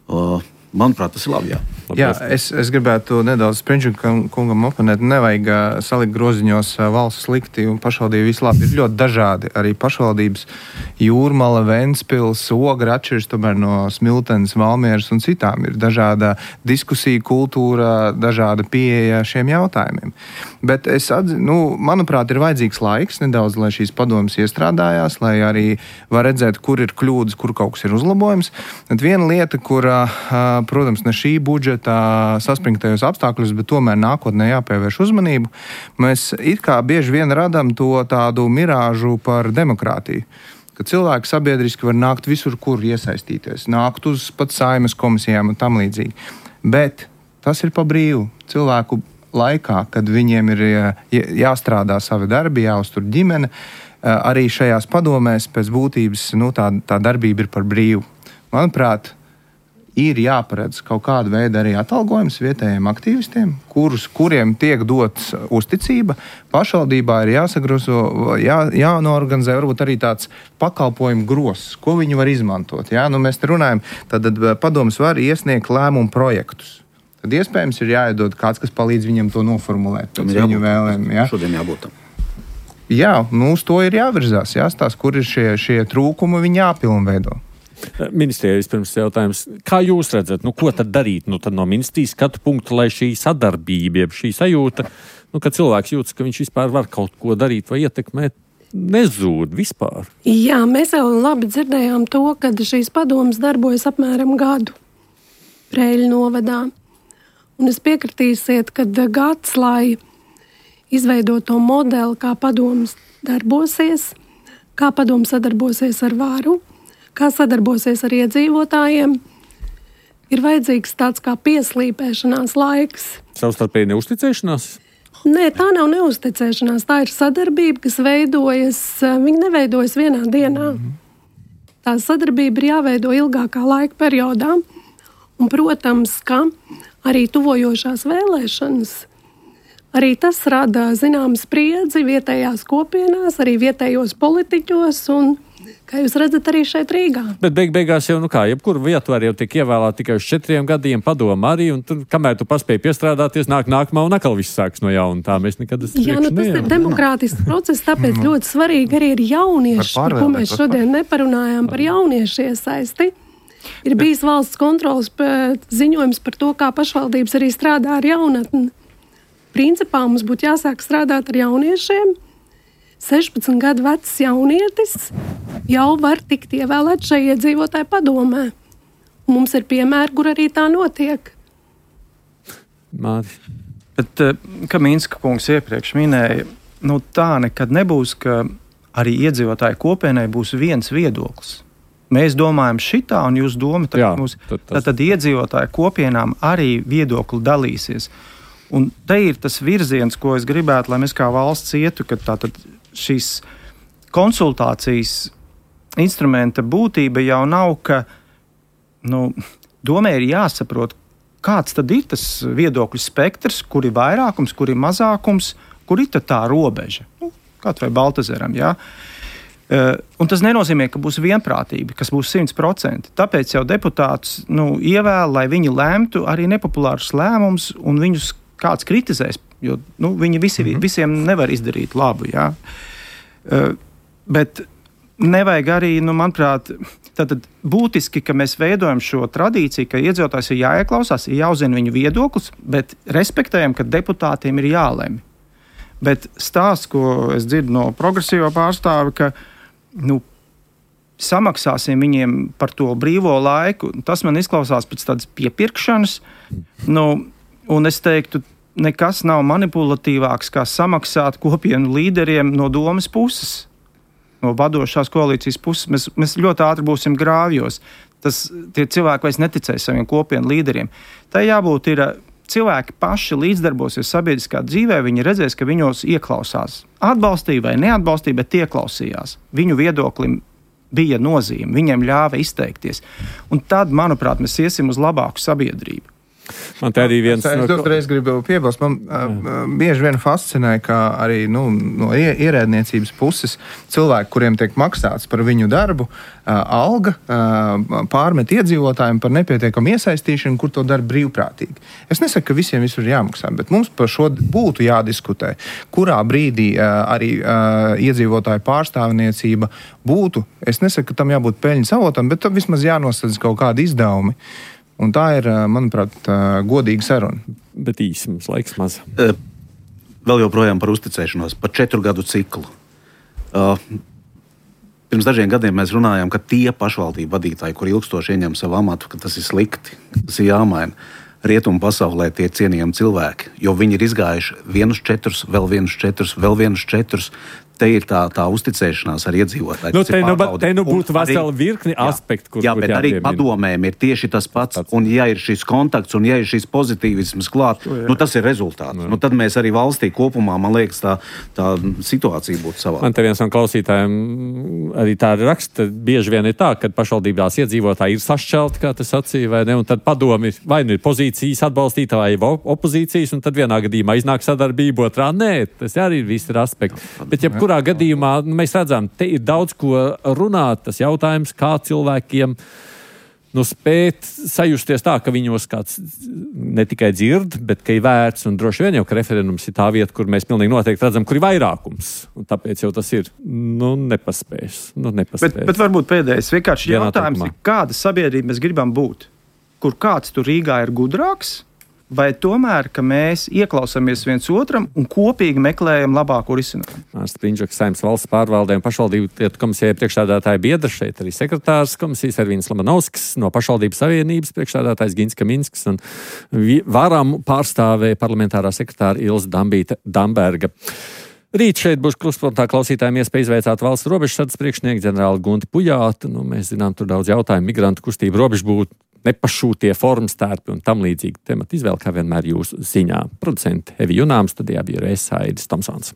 Uh, Manuprāt, tas ir labi, jā. Jā, es, es gribētu nedaudz Sprinčuka kungam oponēt. Nevajag uh, salikt groziņos uh, valsts slikti un pašvaldību visu labi. Ir ļoti dažādi. Arī pašvaldības Jūrmala, Ventspils, Ogra atšķiras tomēr no Smiltenes, Valmieras un citām. Ir dažāda diskusija kultūra, dažāda pieeja šiem jautājumiem. Bet es atzi, nu, manuprāt, ir vajadzīgs laiks nedaudz, lai šīs padomas iestrādājās, lai arī var redzēt, kur ir kļūdas, kur kaut kas ir uzlabojums. Bet viena lieta, kur uh, protams, ne šī budžeta saspringtajos apstākļos, bet tomēr nākotnē jāpievērš uzmanību. Mēs it kā bieži vien radam to tādu mirāžu par demokrātiju, ka cilvēki sabiedriski var nākt visur, kur iesaistīties, nākt uz pat Saeimas komisijām un tam līdzīgi. Bet tas ir pa brīvu cilvēku laikā, kad viņiem ir jāstrādā savi darbi, jāuztur ģimene. Arī šajās padomēs pēc būtības nu, tā, tā darbība ir par brīvu. Manuprāt, ir jāparedz kaut kāda veida arī atalgojums vietējiem aktīvistiem, kurus, kuriem tiek dots uzticība. Pašvaldībā ir jāsagrozo, jā, jānorganizē varbūt arī tāds pakalpojumu gross, ko viņi var izmantot. Jā? Nu, mēs te runājam, tad padomas var iesniegt lēmumu projektus. Tad iespējams ir jāiedod kāds, kas palīdz viņam to noformulēt. Pēc viņu vēlēm. Jā? Šodien jābūt tam. Jā, nu uz to ir jāvirzās. Jāstās, kur ir šie, šie trūkumi, viņi jāpilnveido. Ministrijai vispirms jautājums, kā jūs redzat, nu, ko tad darīt nu, tad no ministrijas skatu punktu, lai šī sadarbība, šī sajūta, nu, ka cilvēks jūtas, ka viņš vispār var kaut ko darīt vai ietekmēt, nezūd vispār? Jā, mēs jau labi dzirdējām to, ka šīs padomas darbojas apmēram gadu Preiļu novadā. Un es piekritīsiet, ka gads, lai izveidot to modeli, kā padomas darbosies, kā padomas sadarbosies ar varu, kā sadarbosies ar iedzīvotājiem, ir vajadzīgs tāds kā pieslīpēšanās laiks. Savstarpēji neusticēšanās? Nē, tā nav neusticēšanās, tā ir sadarbība, kas veidojas, viņa neveidojas vienā dienā. Tā sadarbība ir jāveido ilgākā laika periodā. Un, protams, ka arī tuvojošās vēlēšanas, arī tas rada zināmu spriedzi vietējās kopienās, arī vietējos politiķos un kā jūs redzat, arī šeit Rīgā. Bet beig beigās jau, nu kā, jebkuru vietu var jau tiek ievēlēt tikai uz četriem gadiem, padoma arī, un tur, kamēr tu paspēji piestrādāties, nāk nākamā un atkal viss sāks no jauna. Tā mēs nekad esam Jā, nu tas nejām. Ir demokrātisks process, tāpēc mm. ļoti svarīgi arī ir jaunieši, par ko mēs šodien neparunājām par jauniešu iesaisti. Ir bijis valsts kontrolas ziņojums par to, kā pašvaldības arī strādā ar jaunatni. Principā mums būtu jāsāk strādāt ar jauniešiem, sešpadsmit gadu vecs jaunietis jau var tikt ievēlēt šajā iedzīvotāju padomē. Mums ir piemēri, kur arī tā notiek. Māri. Bet, kā Minska kungs iepriekš minēja, nu tā nekad nebūs, ka arī iedzīvotāju kopienai būs viens viedoklis. Mēs domājam šitā, un jūs domat, Jā, mūs, tad, tas... tad iedzīvotāju kopienām arī viedokli dalīsies. Un te ir tas virziens, ko es gribētu, lai mēs kā valsts ietu, ka tātad šīs konsultācijas instrumenta būtība jau nav, ka nu, domē ir jāsaprot, kāds tad ir tas viedokļu spektrs, kur ir vairākums, kur ir mazākums, kur ir tā robeža. Nu, kaut vai Baltazaram, jā. Uh, un tas nenozīmē, ka būs vienprātība, kas būs simt procenti. Tāpēc jau deputātus nu, ievēl, lai viņi lēmtu arī nepopulārus lēmumus, un viņus kāds kritizēs, jo nu, viņi visi, mm-hmm. visiem nevar izdarīt labu. Jā. Uh, bet nevajag arī, nu, manuprāt, tātad būtiski, ka mēs veidojam šo tradīciju, ka iedzīvotājs ir jāieklausās, ir jāuzzina viņu viedoklis, bet respektējam, ka deputātiem ir jālemj. Bet stāsts, ko es dzirdu no progresīvā pārstāva, ka nu, samaksāsim viņiem par to brīvo laiku, tas man izklausās pēc tādas piepirkšanas, nu, un es teiktu, nekas nav manipulatīvāks, kā samaksāt kopienu līderiem no domas puses, no vadošās koalīcijas puses. Mēs, mēs ļoti ātri būsim grāvjos. Tas, tie cilvēki vairs neticēs saviem kopienu līderiem. Tā jābūt ir cilvēki paši līdzdarbosies sabiedriskā dzīvē, viņi redzēs, ka viņos ieklausās. Atbalstīja vai neatbalstīja, bet ieklausījās. Viņu viedoklim bija nozīme, viņiem ļāva izteikties. Un tad, manuprāt, mēs iesim uz labāku sabiedrību. Man te arī viens... Es no... uzreiz gribu piebilst, man uh, bieži vien fascinē, ka arī nu, no ierēdniecības puses cilvēki, kuriem tiek maksāts par viņu darbu, uh, alga uh, pārmet iedzīvotājiem par nepietiekamu iesaistīšanu, kur to dara brīvprātīgi. Es nesaku, ka visiem visur jāmaksā, bet mums par šo būtu jādiskutē, kurā brīdī uh, arī uh, iedzīvotāju pārstāvniecība būtu. Es nesaku, ka tam jābūt peļņas avotam, bet tam vismaz jānosadz kaut kādi izdevumi. Un tā ir, manuprāt, godīga saruna. Bet īsi mums laiks maz. Vēl joprojām par uzticēšanos, par četru gadu ciklu. Pirms dažiem gadiem mēs runājām, ka tie pašvaldību vadītāji, kur ilgstoši ieņem savu amatu, ka tas ir slikti, tas ir jāmaina. Rietumu pasaulē tie cienījami cilvēki, jo viņi ir izgājuši vienus četrus, vēl vienus četrus, vēl vienus četrus. Te ir tā, tā uzticēšanās ar iedzīvotāju. Nu, te, nu, te nu būtu vesela virkni aspektu, kur jā, kur bet arī padomēm ir tieši tas pats. pats. Un ja ir šis kontakts un ja ir šis pozitīvisms klāt, to, nu, tas ir rezultāts. Nu, tad mēs arī valstī kopumā, man liekas, tā, tā situācija būtu savā. Man te viens no klausītājiem arī tā raksta, bieži vien ir tā, ka pašvaldībās iedzīvotāji ir sašķelti, kā tas sacīja, vai ne, un tad padomi vai nu ir pozīcijas atbalstītāji vai opozīcijas, un tad vienā gadījumā iznāk sadarbība, otrā nē, tas arī ir visi ir aspekti. Bet ja kurā gadījumā nu, mēs redzam, te ir daudz ko runāt. Tas jautājums, kā cilvēkiem nu, spēt sajusties tā, ka viņos kāds ne tikai dzird, bet ka ir vērts, un droši vien jau, ka referendums ir tā vieta, kur mēs pilnīgi noteikti redzam, kur ir vairākums. Un tāpēc jau tas ir nu, nepaspējis. Nu, nepaspējis. Bet, bet varbūt pēdējais vienkārši jautājums ir, kāda sabiedrība mēs gribam būt? Kur kāds tur Rīgā ir gudrāks? Vai tomēr, ka mēs ieklausāmies viens otram un kopīgi meklējam labāko risinājumu? Mārcis Prinčaks, Saeimas valsts pārvaldē un pašvaldību lietu komisijai priekšsēdētāja biedra, šeit arī sekretārs komisijas Ervīns Lamanovskis, no pašvaldības savienības priekšsēdētājs Gins Kaminsks un varam pārstāvēja parlamentārā sekretāra Ilze Dambīta Damberga. Rīt šeit būs Krustpunktā klausītājiem iespēja izveicāt valsts robežsardzes priekšnieku ģenerāli Gunti Pujātu. Nu, mēs zinām, tur daudz jautājumu, migrantu kustību, robežbūtu, nepašūtie formas tērpi un tam līdzīgi temati izvēle, kā vienmēr jūsu ziņā. Producenti Evi Junām, studijā bija Reisa Aidis Tomsons.